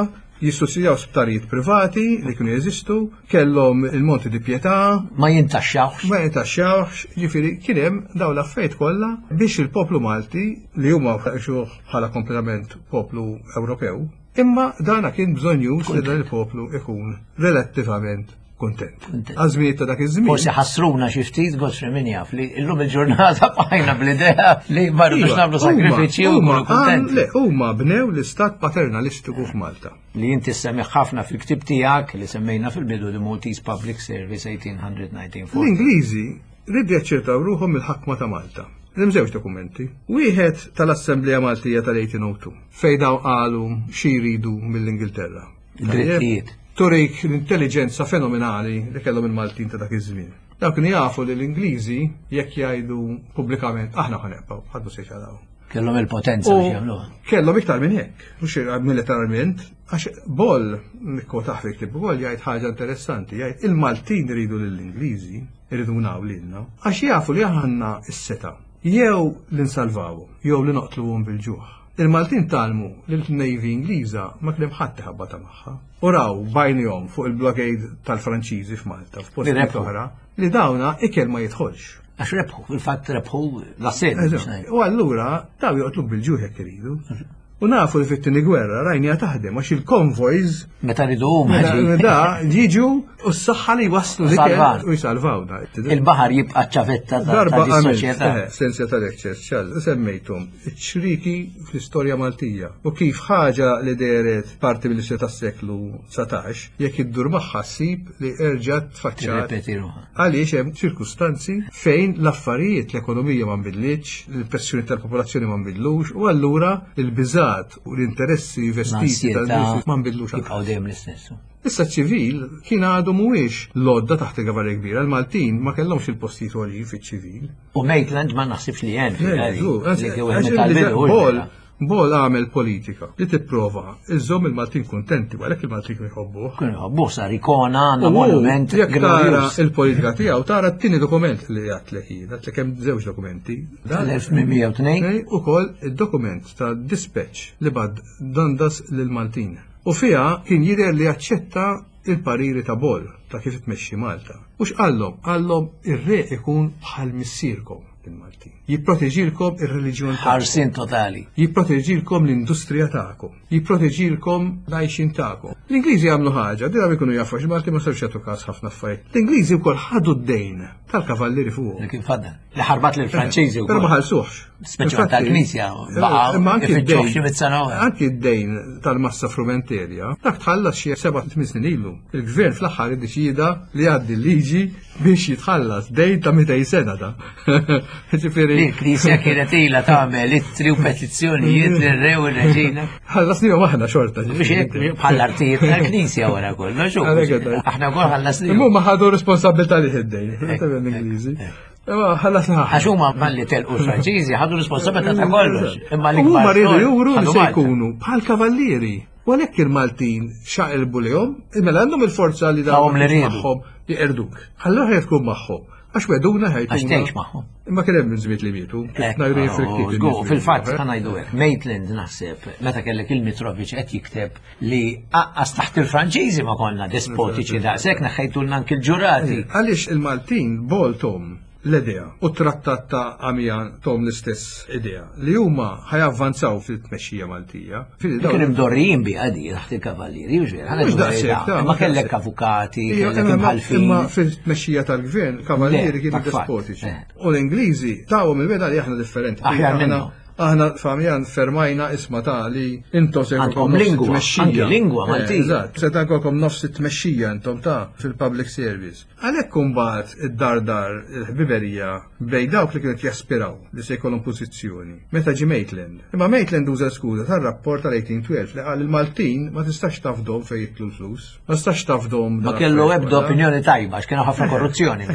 jissussidjaw sptarijiet privati li kienu jeżistu, kellhom il-Monti di Pietà, Ma jintaxxawx. ma jintaxxawx, ġifieri kien hemm dawn l-affarijiet kollha biex il-poplu Malti li huma xuh bħala kompletament poplu Ewropew, imma dana kien bżonjuż li dan il-poplu ikun relattivament kontent. Kuntent. Għażmijiet ta' dak iż-żmien. Forsi ħassruna xi ftit Godfrey min jaf li llum il-ġurnata bqajna bl-idea li ma rridux Iva, nagħmlu sakrifiċċji u huma- nkunu kuntenti. Le, huma bnew l-istat paternalistiku f'Malta. Li inti semmi ħafna fil-ktib tiegħek li semmejna fil-bidu The Maltese Public Service eighteen hundred nineteen forty. L-Ingliżi rridu jaċċertaw ruħhom il-ħakma ta' Malta. Hemm żewġ dokumenti. Wieħed tal-Assemblea Maltija tal-eighteen oh two fejn daw qalu xi jridu mill-Ingilterra. Drittijiet. Turik l-intelligenza fenomenali li kellhom il-Maltin ta' dak iż-żmien. Dawk kienu jafu li l-Ingliżi jekk jgħidu pubblikament aħna ħa nibqgħu, ħadd mhu se jċaqlaqhom. Kellhom il-potenza biex jagħmluha. Kellhom iktar minn hekk, mhux militarment, għax Ball, nikkwotah fi ktieb ukoll, jgħid ħaġa interessanti, jgħid il-Maltin iridu lill-Ingliżi, iridu naw lilna, għax jafu li aħna s-setgħa jew li nsalvawhom, jew li noqtluhom bil-ġuħ. Il-Maltin tgħallmu li l-Navy Ingliża ma kien hemm ħadd iħabbata magħha. U raw b'għajnejhom fuq il-blockade tal-Franċiżi f'Malta, f'postijiet Li rebħu. oħra, li dawna ikel ma jidħolx. Għax rebħu, fil-fatt rebħu l-assedju biex ngħid. U allura daw joqtluk bil-ġuħ jekk iridu. U nafu li fit-tieni gwerra rajnija taħdem għax il-konvojs Meta ridu huma meta ġi. da jiġu u s-saħħa li waslu l-ikel Salvan. u jsalvawna. Il-baħar jibqa' ċavetta ta' Darba ta' għamilt, soċjetà. eh, sensja tal-lectures, ċal, semmejtum, ċriki fl-istorja Maltija. U kif ħaġa li deret parti mill-istorja tas-seklu dsatax, jekk iddur magħha ssib li erġa' tfaċċat. Tirrepeti ruħha. Għaliex hemm ċirkustanzi fejn l-affarijiet, l-ekonomija ma nbidlitx, il-pressjoni tal-popolazzjoni ma nbidlux, u allura il-biżat u l-interessi vestiti L-ansjetà tal-nies ma nbidlux. Jibqgħu dejjem l-istess. Issa ċivil kien għadu mhuwiex lodda taħt il-Kavallier Kbira, il-Maltin ma kellhomx il-postijiet għoljin fiċ-ċivil. U Maitland ma naħsibx li hemm Le, li kien għax wieħed tal-bidu. Ball, Ball għamel politika li tipprova iżżomm il-Maltin kuntenti, għalhekk il-Maltin kienu jħobbuh. Kienu jħobbuh, sar ikona, għandna U monument jekk tara glorjuż. il-politika tiegħu tara t-tieni dokument li għatlek jien, għatlek hemm żewġ dokumenti. Dan- Tal-elf tmien mija u tnejn. Ukoll id-dokument ta' dispatch li bagħat Dundas lil-Maltin. U fiha kien jidher li jaċċetta il-pariri ta' Ball ta' kif tmexxi Malta. U x'qallhom? Qallhom ir-re ikun bħal missierkom il-Maltin. Jipproteġilkom ir-reliġjon tagħkom. Ħarsin totali. Jipproteġilkom l-industrija tagħkom, jipproteġilkom l-għajxin tagħkom. L-Ingliżi għamlu ħaġa, dira ikunu jafu għax Malti ma sarx jagħtu każ ħafna affarijiet. L-Ingliżi wkoll ħadu d-dejn tal-kavallieri fuq. Li kien fadda. Li ħarbat lill-Franċiżi Però ma wkoll. ħallsuhx. Speċi Infatti, tal-Knisja, baqgħu imma anki ifittxuh d-dejn- xi mitt sena oħra. Anki d-dejn tal-massa frumenterja, dak tħallas xi seba' tmien snin ilu. Il-gvern fl-aħħar iddeċida li jgħaddi l-liġi biex jitħallas dejn ta' mitejn sena ta'. Ġifieri. Li l-Knisja kienet ilha tagħmel ittri u petizzjonijiet lir-re u r-reġina. Ħallasnihom aħna xorta. Biex hekk bħall-artijiet tal-Knisja wara kollox. u Għalhekk qed ngħid. Aħna wkoll ħallasnihom. Imma huma ħadu responsabilità li id-dejn, l-Ingliżi. Imma ħallasna aħna. Għax huma malli telqu l-Franċiżi ħadu responsabilità ta' kollox. Imma U l-ikbar huma riedu xogħol juru li ħadu se Malta. jkunu bħal kavallieri. U għalhekk il-Maltin xaqilbu lihom, mela għandhom il-forza li Tawhom li riedu. magħhom jiqerduk. Allura ħaj tkun magħhom. Għax weduna ħajtuna. Għax tgħix magħhom. Imma kien hemm minn żmiet li mietu. Eh, Ngħidu oh, fil-ktieb żgur, in-nies li fil-fatt mietu, eh. ħa ngħidu hekk. Maitland naħseb meta kellek il-Mitrovic qed jikteb li aqqas taħt il-Franċiżi ma konna despotiċi daqshekk, neħħejtulna anki l-ġurati. Għaliex il-Maltin Ball tahom l-idea u trattat ta' Amiens tahom l-istess idea li huma ħajavvanzaw fil-tmexxija Maltija. Fili dawn- Kienu mdorrijin bi għadi taħt il-kavallieri, mhux vera, ħa ngħidu Mhux daqshekk, verità. ta' Imma mhux kellek daqshekk. avukati, Ija, kellek imma- imħalfin. Imma fil-tmexxija tal-gvern, kavallieri Le, kienu dak fatt, despotiċi. eh. U l-Ingliżi tawhom il-wegħda li aħna differenti. Aħjar Aħna- minnhom. Aħna f'Amiens fermajna isma ta' li intom se Għandkom jkollkom nofs lingwa, it-tmexxija. anki lingwa Eh, Maltija. Eżatt, se jkollkom nofs it-tmexxija intom ta' fil-public service. Għalhekk imbagħad id-dardar il-ħbiberija bejn dawk li kienet jaspiraw li se jkollhom pożizzjoni. Meta ġi Maitland. Imma Maitland uża skuża tar-rapport tal-eighteen twelve li qal il-Maltin ma tistax tafdom fejn jidħlu l-flus. Ma tistax tafdom Ma kellu ebda opinjoni tajba, għax kienu ħafna korruzzjoni.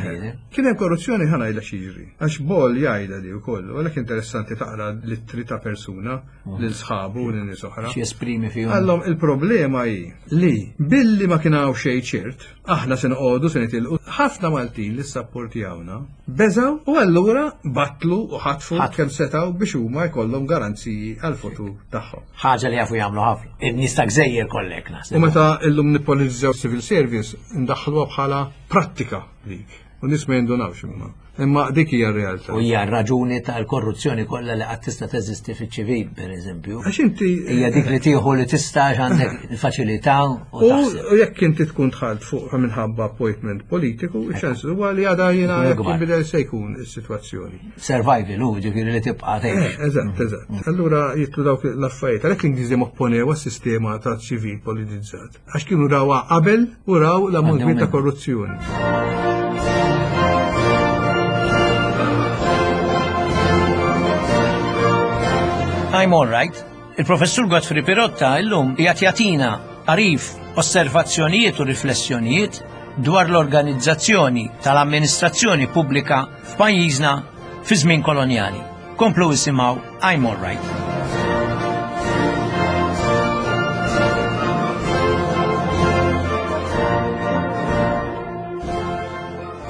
Kien hemm korruzzjoni, ħa ngħidha x'jiġri. Għax Ball jgħidha li wkoll, u għalhekk interessanti taqra l-ittri ta' persuna lil sħabu u lil nies oħra. Xi jesprimi fihom. Għallhom il-problema hi li billi ma kien hawn xejn ċert, aħna se noqogħdu se nitilqu. Ħafna Maltin li sapportjawna beżaw u allura batlu u ħatfu Ħatfu. kemm setgħu biex huma jkollhom garanziji għal-futur tagħhom. Ħaġa li jafu jagħmlu ħafna. In-nies ta' gżejjer kollek naħseb. U meta illum nippolitizzaw civil service, ndaħħluha bħala prattika dik. U nies ma jindunawx imma. Imma dik hija r-realtà. U hija raġuni tal-korruzzjoni kollha li qatt tista' teżisti fiċ-ċivil, pereżempju. Għax inti Hija dik li tieħu li tista' għax għandek faċilità u U taħseb. u jekk inti tkun dħalt fuq minħabba appointment politiku, iċ-ċans huwa li għada jiena Ikun jekk ikbar. jinbidel se jkun is-sitwazzjoni. Survival, u ġifieri li tibqa' tgħix. Eżatt, eżatt. Allura jidħlu dawk l-affarijiet. Għalhekk l-Ingliżi opponew għas-sistema ta' ċivil politizzat. Għax kienu rawha qabel u raw l-ammont Għaddew kbir ta' minnu. korruzzjoni. I'm all right. Il-professur Godfrey Pirotta illum qiegħed jagħtina għarif, osservazzjonijiet u riflessjonijiet dwar l-organizzazzjoni tal-amministrazzjoni pubblika f'pajjiżna fi żmien kolonjali. Komplu isimgħu I'm All Right.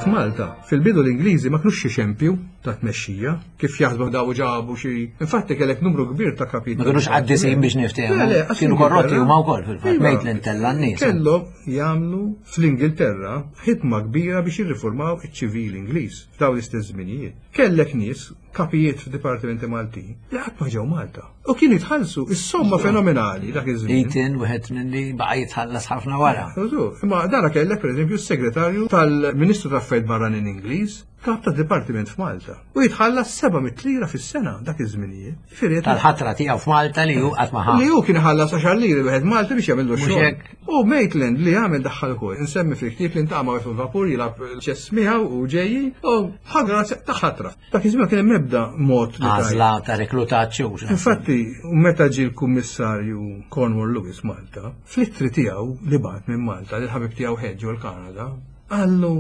F'Malta, fil-bidu l-Ingliżi ma kinux xi xempju ta' tmexxija, kif jaħsbu daw ġabu xi. Infatti kellek numru kbir ta' kapitli. Ma kinux qaddisin biex niftehmu. Kienu korrotti huma wkoll fil-fatt, Maitland tella' n-nies. Kellhom jagħmlu fl-Ingilterra ħidma kbira biex jirriformaw iċ-ċivil Ingliż f'dawn l-istess żminijiet. Kellek nies, kapijiet f'dipartimenti Maltin, li qatt ma ġew Malta. U kienu jitħallsu is-somma fenomenali dak iż-żmien. Eaton, wieħed minn li baqa' jitħallas ħafna wara. Imma dara kellek pereżempju s-segretarju tal-Ministru tal-Affarijiet Barranin Ingliż, kap ta' dipartiment f'Malta. U jitħallas seba' mitt lira fis-sena dak iż-żminijiet. Tal-ħatra tiegħu f'Malta li hu qatt ma ħa. Li hu kien iħallas għaxar liri wieħed Malta biex jagħmillu xogħol. U Maitland li għamel daħħal ukoll. Insemmi fil-ktieb li ntaqama fil-vapur jilgħab ċess miegħu u ġejji u ħagra ta' ħatra. Dak iż-żmien kien hemm ebda mod li għażla ta' reklutaġġ. Infatti, meta ġie l-Kummissarju Cornwall Lewis Malta, fl-ittri tiegħu li bagħat minn Malta lil ħabib tiegħu Hedge l-Kanada, qallu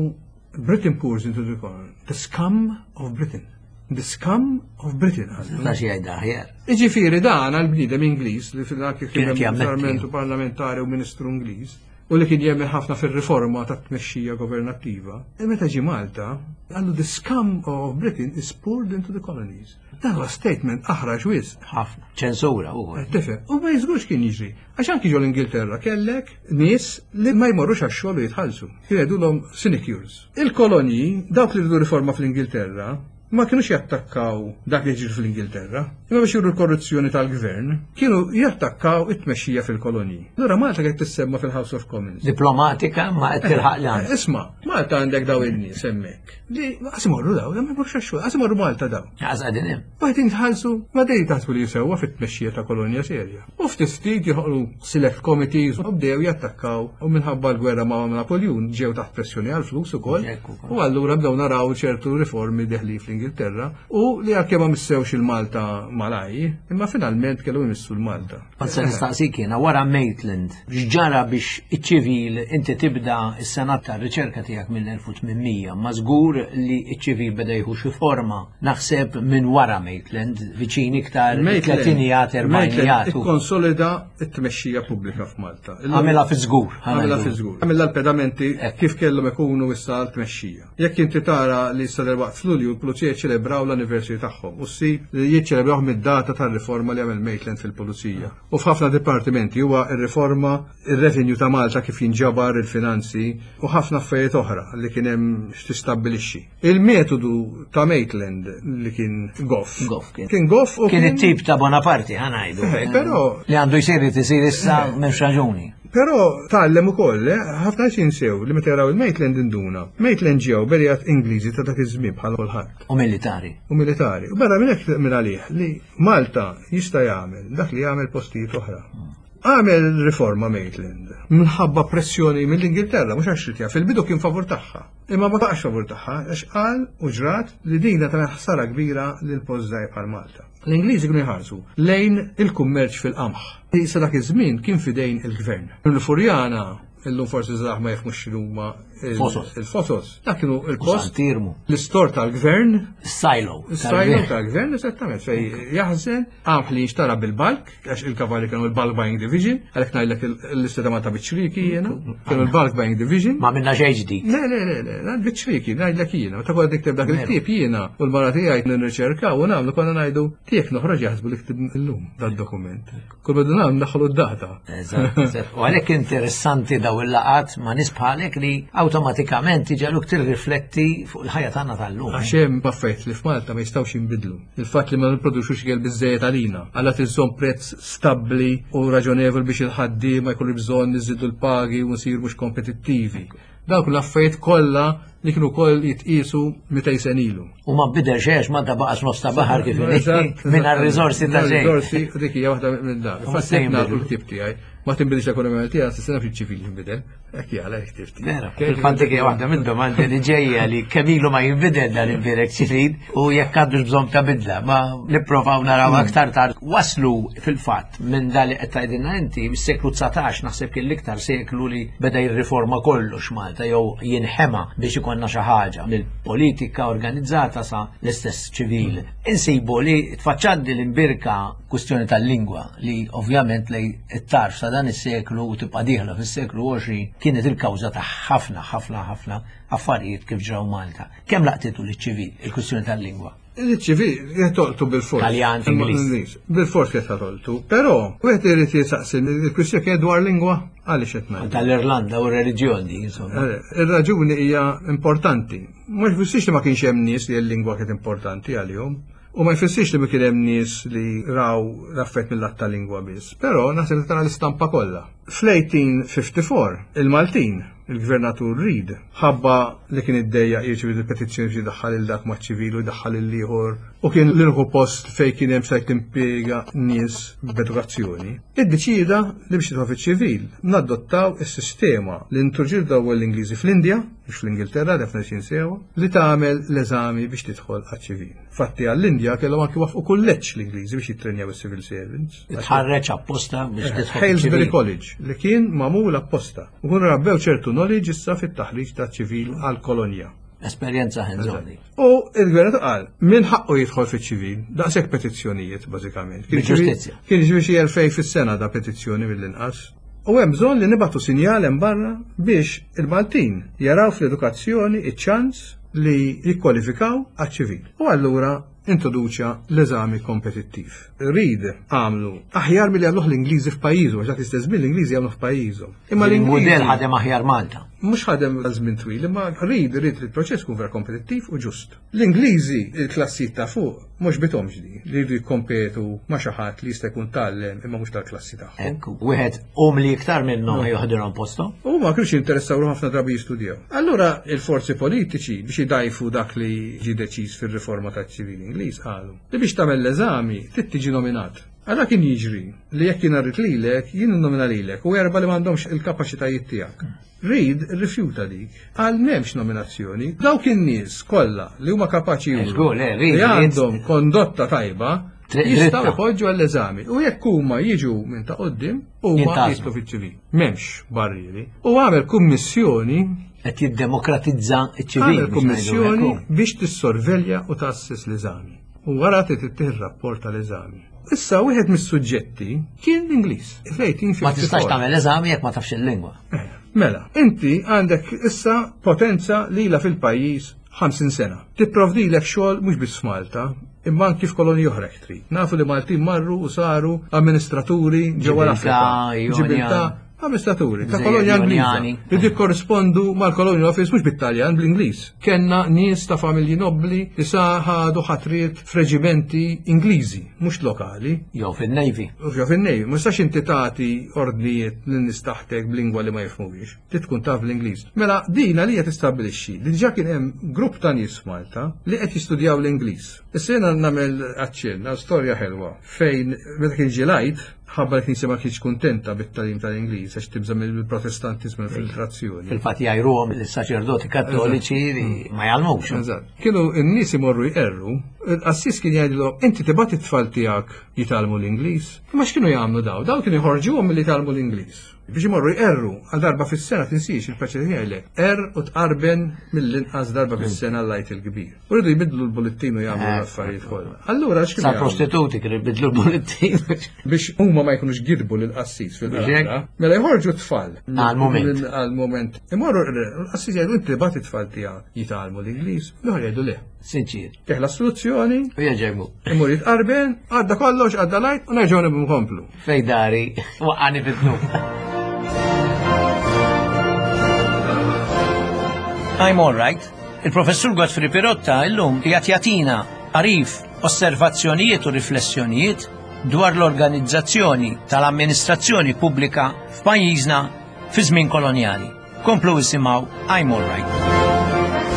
Britain pours into the colony, the scum of Britain. The scum of Britain. Ta' xi jgħidha aħjar. Iġifieri dan għall-bniedem Ingliż li fil-dak kien hemm parlamentari u ministru Ingliż u li kien jemmen ħafna fir-riforma tat-tmexxija governattiva. E meta ġie Malta, qallu the scum of Britain is poured into the colonies. Dan huwa statement aħrax wisq. Ħafna. Ċensura ukoll. Tifhem, u ma jiżgurx kien jiġri. Għax anki ġol Ingilterra kellek nies li ma jmorrux għax-xogħol u jitħallsu. Jgħidulhom sinecures. Il-kolonji, dawk li rridu riforma fl-Ingilterra, ma kienux jattakkaw dak li ġir fl-Ingilterra, imma biex juru l-korruzzjoni tal-gvern, kienu jattakkaw it-tmexxija fil-kolonji. Allura Malta qed tissemma fil-House of Commons. Diplomatika ma qed tilħaq l Isma', Malta għandek daw in-nies hemmhekk. Li qas imorru daw, ma jmorrux għax-xogħol, qas imorru Malta daw. Qas qegħdin hemm. Wieħed jitħallsu, ma dejjem taħsbu li jisewwa fit-tmexxija ta' kolonja serja. U ftit ftit joħolqu select committees u bdew jattakkaw u minħabba l-gwerra ma' Napoljun ġew taħt pressjoni għall-flus ukoll. U allura bdew naraw ċertu riformi deħli fl-Ingilterra u li għalkemm ma missewx il-Malta malaj, imma finalment kellu jmissu l-Malta. Kont se nistaqsik jiena wara Maitland, x'ġara biex iċ-ċivil inti tibda s-senat tar-riċerka tiegħek mill-elf u tmien mija, ma żgur li ċ-ċivil beda jieħu xi forma naħseb minn wara Maitland, viċin iktar tletinijat, erbgħinijat. Ikkonsolida t-tmexxija pubblika f'Malta. Għamilha fi żgur. Għamilha fi żgur. Għamilha l-pedamenti kif kellhom ikunu issa l-tmexxija. Jekk inti tara li issa waqt f'Lulju l-pulizija jiċċelebraw l-anniversary tagħhom u ssib li jiċċelebraw mid-data tar-riforma li għamel Maitland fil-pulizija. U f'ħafna dipartimenti huwa r-riforma, ir-revenue ta' Malta kif jinġabar il-finanzi u ħafna affarijiet oħra li kien hemm x'tistabbilixxi. Il-metodu ta' Maitland li kien goff. Goff kien. Kien goff u kien it-tip ta' Bonaparte ħa ngħidu. Però li għandu jsir isir issa m'hemmx raġuni. Però tgħallem ukoll, ħafna nies jinsew li meta jaraw il-Maitland induna. Maitland ġew berjat Ingliżi ta' dak iż-żmien bħal kulħadd. U militari. U militari. U barra minn hekk minn għalih li Malta jista' jagħmel dak li jagħmel postijiet oħra. Għamel riforma Maitland minħabba pressjoni mill-Ingilterra, mhux għax ritja, fil-bidu kien favur tagħha. Imma ma baqax favur tagħha għax qal u ġrat li dina tagħmel ħsara kbira lil post żgħir bħal Malta. L-Ingliżi kienu jħarsu lejn il-kummerċ fil-qamħ. Issa dak iż-żmien kien fidejn il-gvern. Il-Furjana, illum forsi żgħar ma jifhmux x'inhuma il-fosos. Dak kienu il-post. L-istor tal-gvern. Silo. Silo tal-gvern, esattament, fej jaħżen qamħ li jinxtara bil-bulk, għax il-kavalli kienu il-bulk buying division, għalhekk ngħidlek l-lista ta' Malta biċ-ċriki jiena, kienu il-bulk buying division. Ma minna xejn ġdid. Le, le, le, le, biċ-ċriki, ngħidlek jiena. Meta kont nikteb dak il-ktieb jiena u l-mara tiegħi nirriċerkaw u nagħmlu konna ngħidu tiegħek noħroġ jaħsbu li ktib illum dad-dokument. Kull ma nagħmlu naħlu d-data. Eżatt. U għalhekk interessanti daw il-laqat ma' nies bħalek li awtomatikament iġegħluk tirrifletti fuq il-ħajja tagħna tal-lum. Għax hemm affarijiet li f'Malta ma jistgħux jinbidlu. Il-fatt li ma nipproduċux ikel biżżejjed għalina, għalla tiżżomm prezz stabbli u raġonevol biex il-ħaddiema jkollu bżonn niżidu l-pagi u nsiru mhux kompetittivi. Dawk l-affarijiet kollha li kienu wkoll jitqisu mitejn sena ilu. U ma bidel xejn, ma baqax nofs ta' baħar kif mingħajr riżorsi ta' xejn. Riżorsi dik hija waħda minn dak. Infatti l-ktieb tiegħi ma tinbidilx l-ekonomija Maltija, s-sena fiċ-ċivil jinbidel. Hekk jgħala l-ktieb tiegħi. Vera, fil-fatt hija waħda minn domandi li ġejja li kemm ilu ma jinbidel dan il-birek ċivil u jekk għandux bżonn ta' bidla, ma nipprovaw naraw aktar tard. Waslu fil-fatt minn dan li qed tgħidilna inti mis-seklu dsatax, naħseb kien l-iktar seklu li beda jirriforma kollox Malta jew jinħema biex ikollna xi ħaġa mill-politika organizzata sa l-istess ċivil. Insibu li tfaċċaddi l-imbirka kwistjoni tal-lingwa li ovvjament lej it-tarf sa dan is-seklu u tibqa' dieħla fis-seklu għoxrin kienet il-kawża ta' ħafna ħafna ħafna affarijiet kif ġraw Malta. Kemm laqtitu liċ-ċivil il-kwistjoni tal-lingwa? Il-ċivil qed bil-fors. Taljan, Ingliż. Bil-fors qed tolqtu, però wieħed irid jisaqsi il-kwistjoni kienet dwar lingwa għaliex qed ngħid. Tal-Irlanda u r-reliġjon di, insomma. Ir-raġuni hija importanti. Ma jfissirx li ma kienx hemm nies li l-lingwa kienet importanti għalihom. U ma jfissirx li ma kien hemm nies li raw l-affett mill-lat ta' lingwa biss, però naħseb li tara l-istampa kollha. Fl-eighteen fifty-four il-Maltin, il-Gvernatur Reid, ħabba li kien iddejjaq jirċievi l-petizzjoni biex jdaħħal il dak maċ-ċivil u jdaħħal il-ieħor, u kien l-uniku post fejn kien hemm stajt timpiega nies b'edukazzjoni, iddeċieda li biex tidħol fiċ-ċivil nadottaw is-sistema li introduċew dawn l-Ingliżi fl-Indja, mhux fl-Ingilterra, defna xi sewa, li tagħmel l-eżami biex tidħol għaċ-ċivil. Fatti għall-Indja kellhom anki wafqu kulleġġ l-Ingliżi biex jittrenjaw is-civil servants. Tħarreġ apposta biex tidħol Hailesbury fiċ-ċivil. College li kien magħmul apposta. U kunu rabbew ċertu knowledge issa fit-taħriġ ta' ċivil għall-kolonja. Esperjenza hands-on. U il-gvern qal min ħaqqu jidħol fiċ-ċivil, daqshekk petizzjonijiet bażikament. Kien Bil-ġustizzja. Kien jiġri xi elfej fis-sena da petizzjoni mill-inqas. U hemm bżonn li nibgħatu sinjal hemm barra biex il-Maltin jaraw fl-edukazzjoni iċ-ċans li jikkwalifikaw għaċ-ċivil. U allura introduċa l-eżami kompetittiv. Reid għamlu aħjar milli għamluh l-Ingliżi f'pajjiżu, għax dak l-istess żmien l-Ingliżi għamluh f'pajjiżhom. Imma Il-mudell l-Ingliżi ħadem aħjar Malta. Mhux ħadem għal żmien twil, imma Reid irid li l-proċess kun vera kompetittiv u ġust. L-Ingliżi, il-klassijiet ta' fuq, mhux bithomx di, li jridu jikkompetu ma' xi ħadd li jista' jkun tgħallem imma mhux tal-klassi tagħhom. Ekku, wieħed umli iktar minnhom joħdilhom posthom. U ma kienx jinteressaw ħafna drabi jistudjaw. Allura il-forzi politiċi biex idajfu dak li ġie deċiż fir-riforma taċ-ċivili Ingliż qalu li biex tagħmel l-eżami trid tiġi nominat. Għala kien jiġri li jekk jien rrid lilek, jien nomina lilek u erba' li m'għandhomx il-kapaċitajiet tiegħek. Reid rrifjuta dik, għal m'hemmx nominazzjoni. Dawk in-nies kollha li huma kapaċi juru Żgur, le, Reid, li Reid. għandhom kondotta tajba, Tri- jistgħu dritta. jpoġġu għall-eżami. U jekk huma jiġu minn ta' quddiem, huma Jintgħażlu. jidħlu fiċ-ċivil. M'hemmx barrieri. U għamel kummissjoni Qed jiddemokratizza ċ-ċivil. Għamel biex ngħidu kummissjoni hekk. biex tissorvelja u tassis l-eżami. U wara trid ittieħ rapport tal-eżami. Issa wieħed mis-suġġetti kien l-Ingliż. Fl-eighteen Ma tistax fifty-four. tagħmel eżami jekk ma tafx il-lingwa. Eh, mela, inti għandek issa potenza li ilha fil-pajjiż ħamsin sena. Tipprovdilek xogħol mhux biss f'Malta, imma anki f'kolonji oħra jekk trid. Nafu li Maltin marru u saru amministraturi ġewwa l-Afrika. Ġibiltà, Ġibiltà, Jonjan. amministraturi ta' Gżejjer kolonja Ingliża Jonjani. li jikkorrispondu mal-Colonial Office mhux bit-Taljan, bl-Ingliż. Kenna nies ta' familji nobbli li sa ħadu ħatriet f'reġimenti Ingliżi, mhux lokali. Jew fin-Navy. U jew fin-Navy, ma tistax inti tagħti ordnijiet lin nies taħtek b'lingwa li ma jifhmuhiex. Trid tkun taf l-Ingliż. Mela din għalija tistabbilixxi li diġà kien hemm grupp ta' nies f'Malta li qed jistudjaw l-Ingliż. Issa jiena nagħmel aċċenn għal storja ħelwa fejn meta kien ġie l-Għid, ħabba l-Knisja ma kienx kuntenta bit-tagħlim tal-Ingliż għax tibża' mill-Protestantiżmu l-infiltrazzjoni. Fil-fatt jgħajruhom lis-saċerdoti kattoliċi li ma jgħallmux. Eżatt. Kienu n-nies imorru jqerru, il-qassis kien jgħidilhom inti tibgħat it-tfal tiegħek jitgħallmu l-Ingliż. Imma x'kienu jagħmlu daw? Daw kienu jħorġuhom milli jitgħallmu l-Ingliż. Biex imorru jqerru għal darba fis-sena, tinsiex il-preċedenti jgħidlek, er u tqarben mill-inqas darba fis-sena l-Għid il-Kbir. U rridu jbidlu l-bullettin u jagħmlu Eh, l-affarijiet kollha. Allura x'kienu Sa jagħmlu? prostituti kienu jbidlu l-bullettin. Biex huma ma jkunux gidbu lill-qassis fil-qrara, mela jħorġu t-tfal. Għal-moment. Għal-moment. Imorru l-qassis jgħidu inti tibgħat it-tfal tiegħek jitgħallmu l-Ingliż, l-oħra jgħidu le. Sinċir. Teħla soluzzjoni, U jerġa' imur jitqarben, għadda kollox, għadda l-Għid, u nerġgħu nibqgħu nkomplu. Fej dari, waqqani fid-dnub. I'm all right. Il-professur Godfrey Pirotta illum qiegħed jagħtina għarif, osservazzjonijiet u riflessjonijiet dwar l-organizzazzjoni tal-amministrazzjoni pubblika f'pajjiżna fi żmien kolonjali. Komplu isimgħu I'm All Right.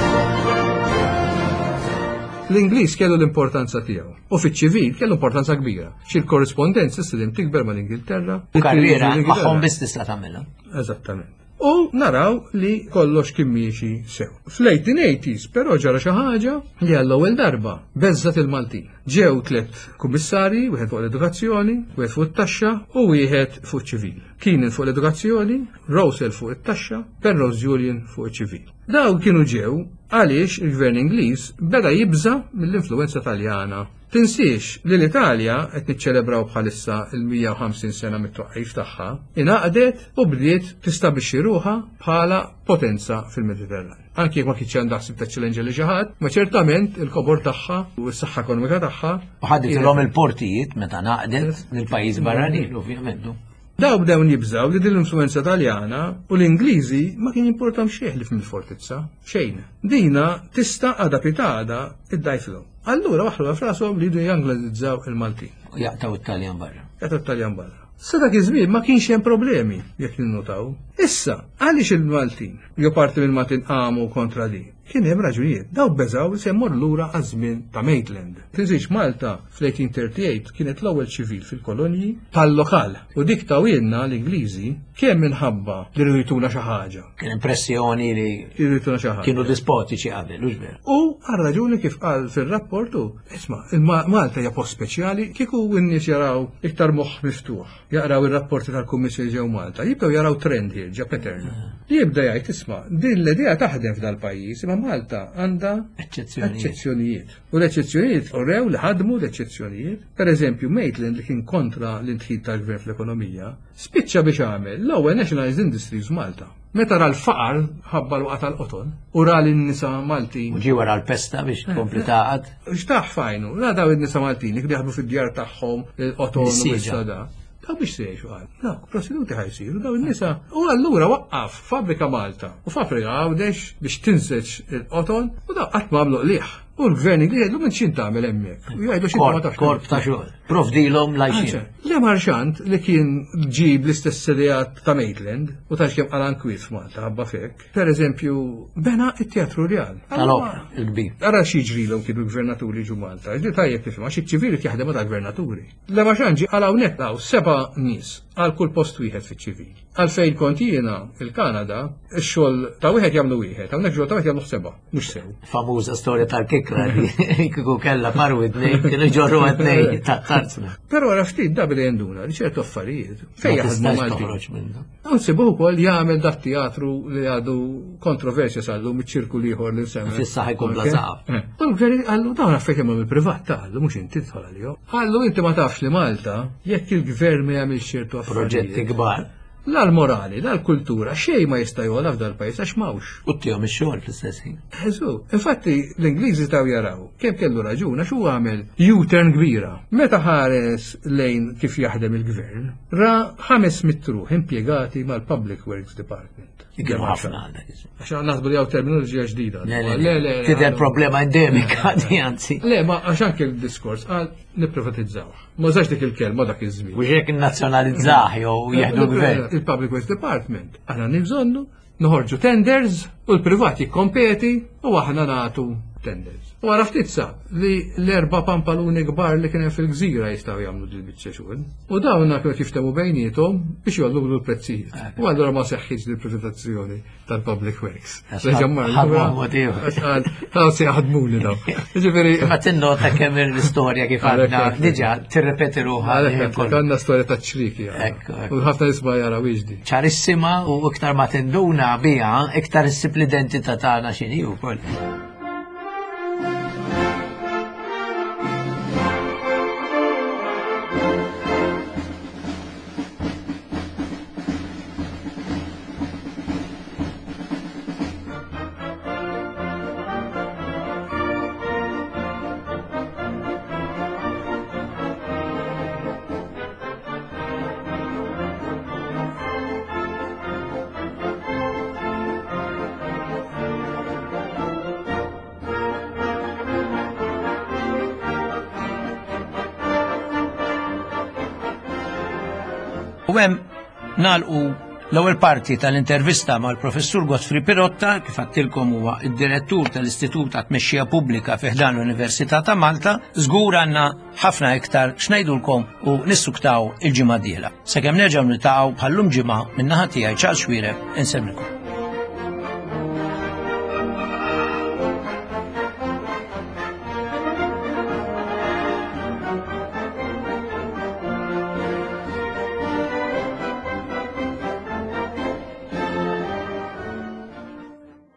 L-Ingliż kellu l-importanza tiegħu. U fiċ-ċivil kellu importanza kbira. Xi l-korrispondenza s-sidim tikber mal-Ingilterra. U karriera magħhom biss tista' tagħmilha. Eżattament. U naraw li kollox kien miexi sew. Fl-eighteen eighties però ġara xi ħaġa li għall-ewwel darba beżżat il-Maltin. Ġew tliet kummissarji, wieħed fuq l-edukazzjoni, wieħed fuq it-taxxa u wieħed fuq ċivil. Keenan fuq l-edukazzjoni, Rowsell fuq it-taxxa, Penrose Julian fuq iċ-ċivil. Dawn kienu ġew għaliex il-gvern Ingliż beda jibża mill-influenza Taljana. Tinsiex li l-Italja qed niċċelebraw bħalissa il-mija u ħamsin sena mit-twaqqif tagħha, ingħaqdet u bdiet tistabbilixxi ruħha bħala potenza fil-Mediterran. Anki jekk ma kienx għandha ħsieb taċċellenġa li xi ħadd, ma ċertament il-kobor tagħha u s-saħħa ekonomika tagħha. U ħaditilhom il-portijiet meta ngħaqdet lill-pajjiż barranin, ovvjament. Daw bdew jibżaw li din l-influenza Taljana u l-Ingliżi ma kien jimportam xejn li mill-fortizza, xejn. Dina tista' għada pitada iddajfilhom. Allura waħlu f'rashom li jridu janglizzaw il-Maltin. U jaqtaw it-Taljan barra. Jaqtaw it-Taljan barra. Sa dak iż-żmien ma kienx hemm problemi jekk ninnotaw. Issa, għaliex il-Maltin, jew parti mill-Maltin qamu kontra di? Kien hemm raġunijiet. Daw beżaw se jmorru lura għaż-żmien ta' Maitland. Tinsiex Malta fl-eighteen thirty-eight kienet l-ewwel ċivil fil-kolonji tal-lokal. U dik tawilna l-Ingliżi kemm minħabba li rridu jtuna xi ħaġa. Kien impressjoni li Rridu jtuna xi ħaġa. Kienu dispotiċi qabel, hux veru? U għal raġuni kif qal fir-rapportu, isma', il-Ma-, Malta hija post speċjali, kieku n-nies jaraw iktar moħħ miftuħ, jaqraw ir-rapporti tal-Kummissjoni ġew Malta, jibdew jaraw trend here, ġa pattern. Jibda jgħid, isma', din l-idea taħdem f'dal-pajjiż, imma Malta għandha Eċċezzjonijiet. eċċezzjonijiet. U l-eċċezzjonijiet urew li ħadmu l-eċċezzjonijiet. Per eżempju, Maitland li kien kontra l-intħil tal-gvern fl-ekonomija, spiċċa biex għamel l-ewwel Nationalized Industries Malta. Meta ra l-faqar ħabba l-waqa tal-qoton u ra lin-nisa Maltin. U ġie wara l-pesta biex tkompli taqgħad. X'taħ fajnu, ra daw in-nisa Maltin li kienu jaħdmu fid-djar tagħhom il-qoton u Nissieġa. s-sada. Daw biex se jgħixu għal. Dawk prostituti ħajsiru, daw in-nisa. U allura waqqaf fabbrika Malta u fabbrika Għawdex biex tinseġ il-qoton u daw qatt ma għamlu qligħ. U l-gvern Ingliż jgħidlu minn x'int tagħmel hemmhekk. U jgħidu x'int ma Korp, tafx. korp ta' xogħol. Provdilhom lajxin. Anzi, Le Marchant li kien ġib l-istess ideat ta' Maitland u ta' x'kemm qala nkwiet f'Malta ħabba fek. Per eżempju, bena it-Teatru Rjal. Tal-opra, il-kbir. Ara x'jiġrilhom kienu l-gvernaturi ġu Malta. Ġdi tajjeb tifhem, għax iċ-ċivili jaħdem ma' gvernaturi. Le Marchant ġi għal hawnhekk hawn seba' nies għal kull post wieħed fiċ-ċivil. Għalfejn kont jiena il-Kanada, ix-xogħol ta' wieħed jagħmlu wieħed, hawnhekk xogħol ta' wieħed jagħmlu seba', mhux sew. Famuża storja tal-kikra li kieku kellha paru tnejn, kienu ġorru tnejn ta' tarzna. Però wara ftit da beda jenduna li ċertu affarijiet fejn Ma jaħdmu tistax Maltin. toħroġ minnha. Nsibuh ukoll jagħmel dat teatru li għadu kontroversja sal-lum iċ-ċirku l-ieħor li nsemmi. Fis-saħħa jkun bla Ok. saqaf. Eh. U l-gvern qallu dawn affarijiet jagħmlu mill-privat taqallu mhux inti tidħol għalihom. Qallu inti ma tafx li Malta jekk il-gvern ma jagħmilx ċertu affarijiet. Proġetti kbar. La l-morali, la l-kultura, xejn ma jista' jogħla f'dal pajjiż għax m'hawnx. U ttihom ix-xogħol fl-istess ħin. Eżu, infatti l-Ingliżi taw jaraw kemm kellu raġun għax huwa għamel U-turn kbira. Meta ħares lejn kif jaħdem il-gvern, ra ħames mitt ruħ impjegati mal-Public Works Department. Kienu ħafna għal dak iż-żmien. Għax naħsbu li hawn terminoloġija ġdida. Le, le, Le, le, Tidher għadu. problema endemika di anzi. Le, ma għax anke l-diskors għal nipprivatizzawh. Ma użax dik il-kelma dak iż-żmien. U xek nazzjonalizzah jew jieħdu l-gvern. Il-Public Works Department. Aħna nibżonnu, noħorġu tenders u l-privat jikkompeti u aħna nagħtu tenders. U għara ftit sab li l-erba' pampaluni kbar li kien hemm fil-gżira jistgħu jagħmlu dil biċċa xogħol. U dawn kienu jiftehmu bejniethom biex jgħollu l-prezzijiet. U allura ma seħħitx li privatizzazzjoni tal-Public Works. Għax Reġa' mar ħadmu lura, mod ieħor. għax qal, taw se jaħdmuni daw. Jiġifieri, Ma tinnota kemm l-istorja kif Għalhekk għadna hekk. diġà tirrepeti ruħha. Għalhekk li hekk, kollu. għandna storja ta' ċriki. Ekku, ekku. U ħafna nisma' jaraw iġdi. Ċarissima u iktar ma tinduna biha, iktar issib l-identità tagħna x'inhi wkoll. U hemm nagħlqu L-ewwel parti tal-intervista mal-Professur Godfrey Pirotta, kif għedtilkom huwa id-direttur tal-Istitut ta' Tmexxija Pubblika fi ħdan l-Università ta' Malta, żgur għandna ħafna iktar x'ngħidulkom u nissuktaw il-ġimgħa d-dieħla. Sakemm nerġgħu niltaqgħu bħallum ġimgħa, min-naħa tiegħi Charles Xuereb, insellmilkom.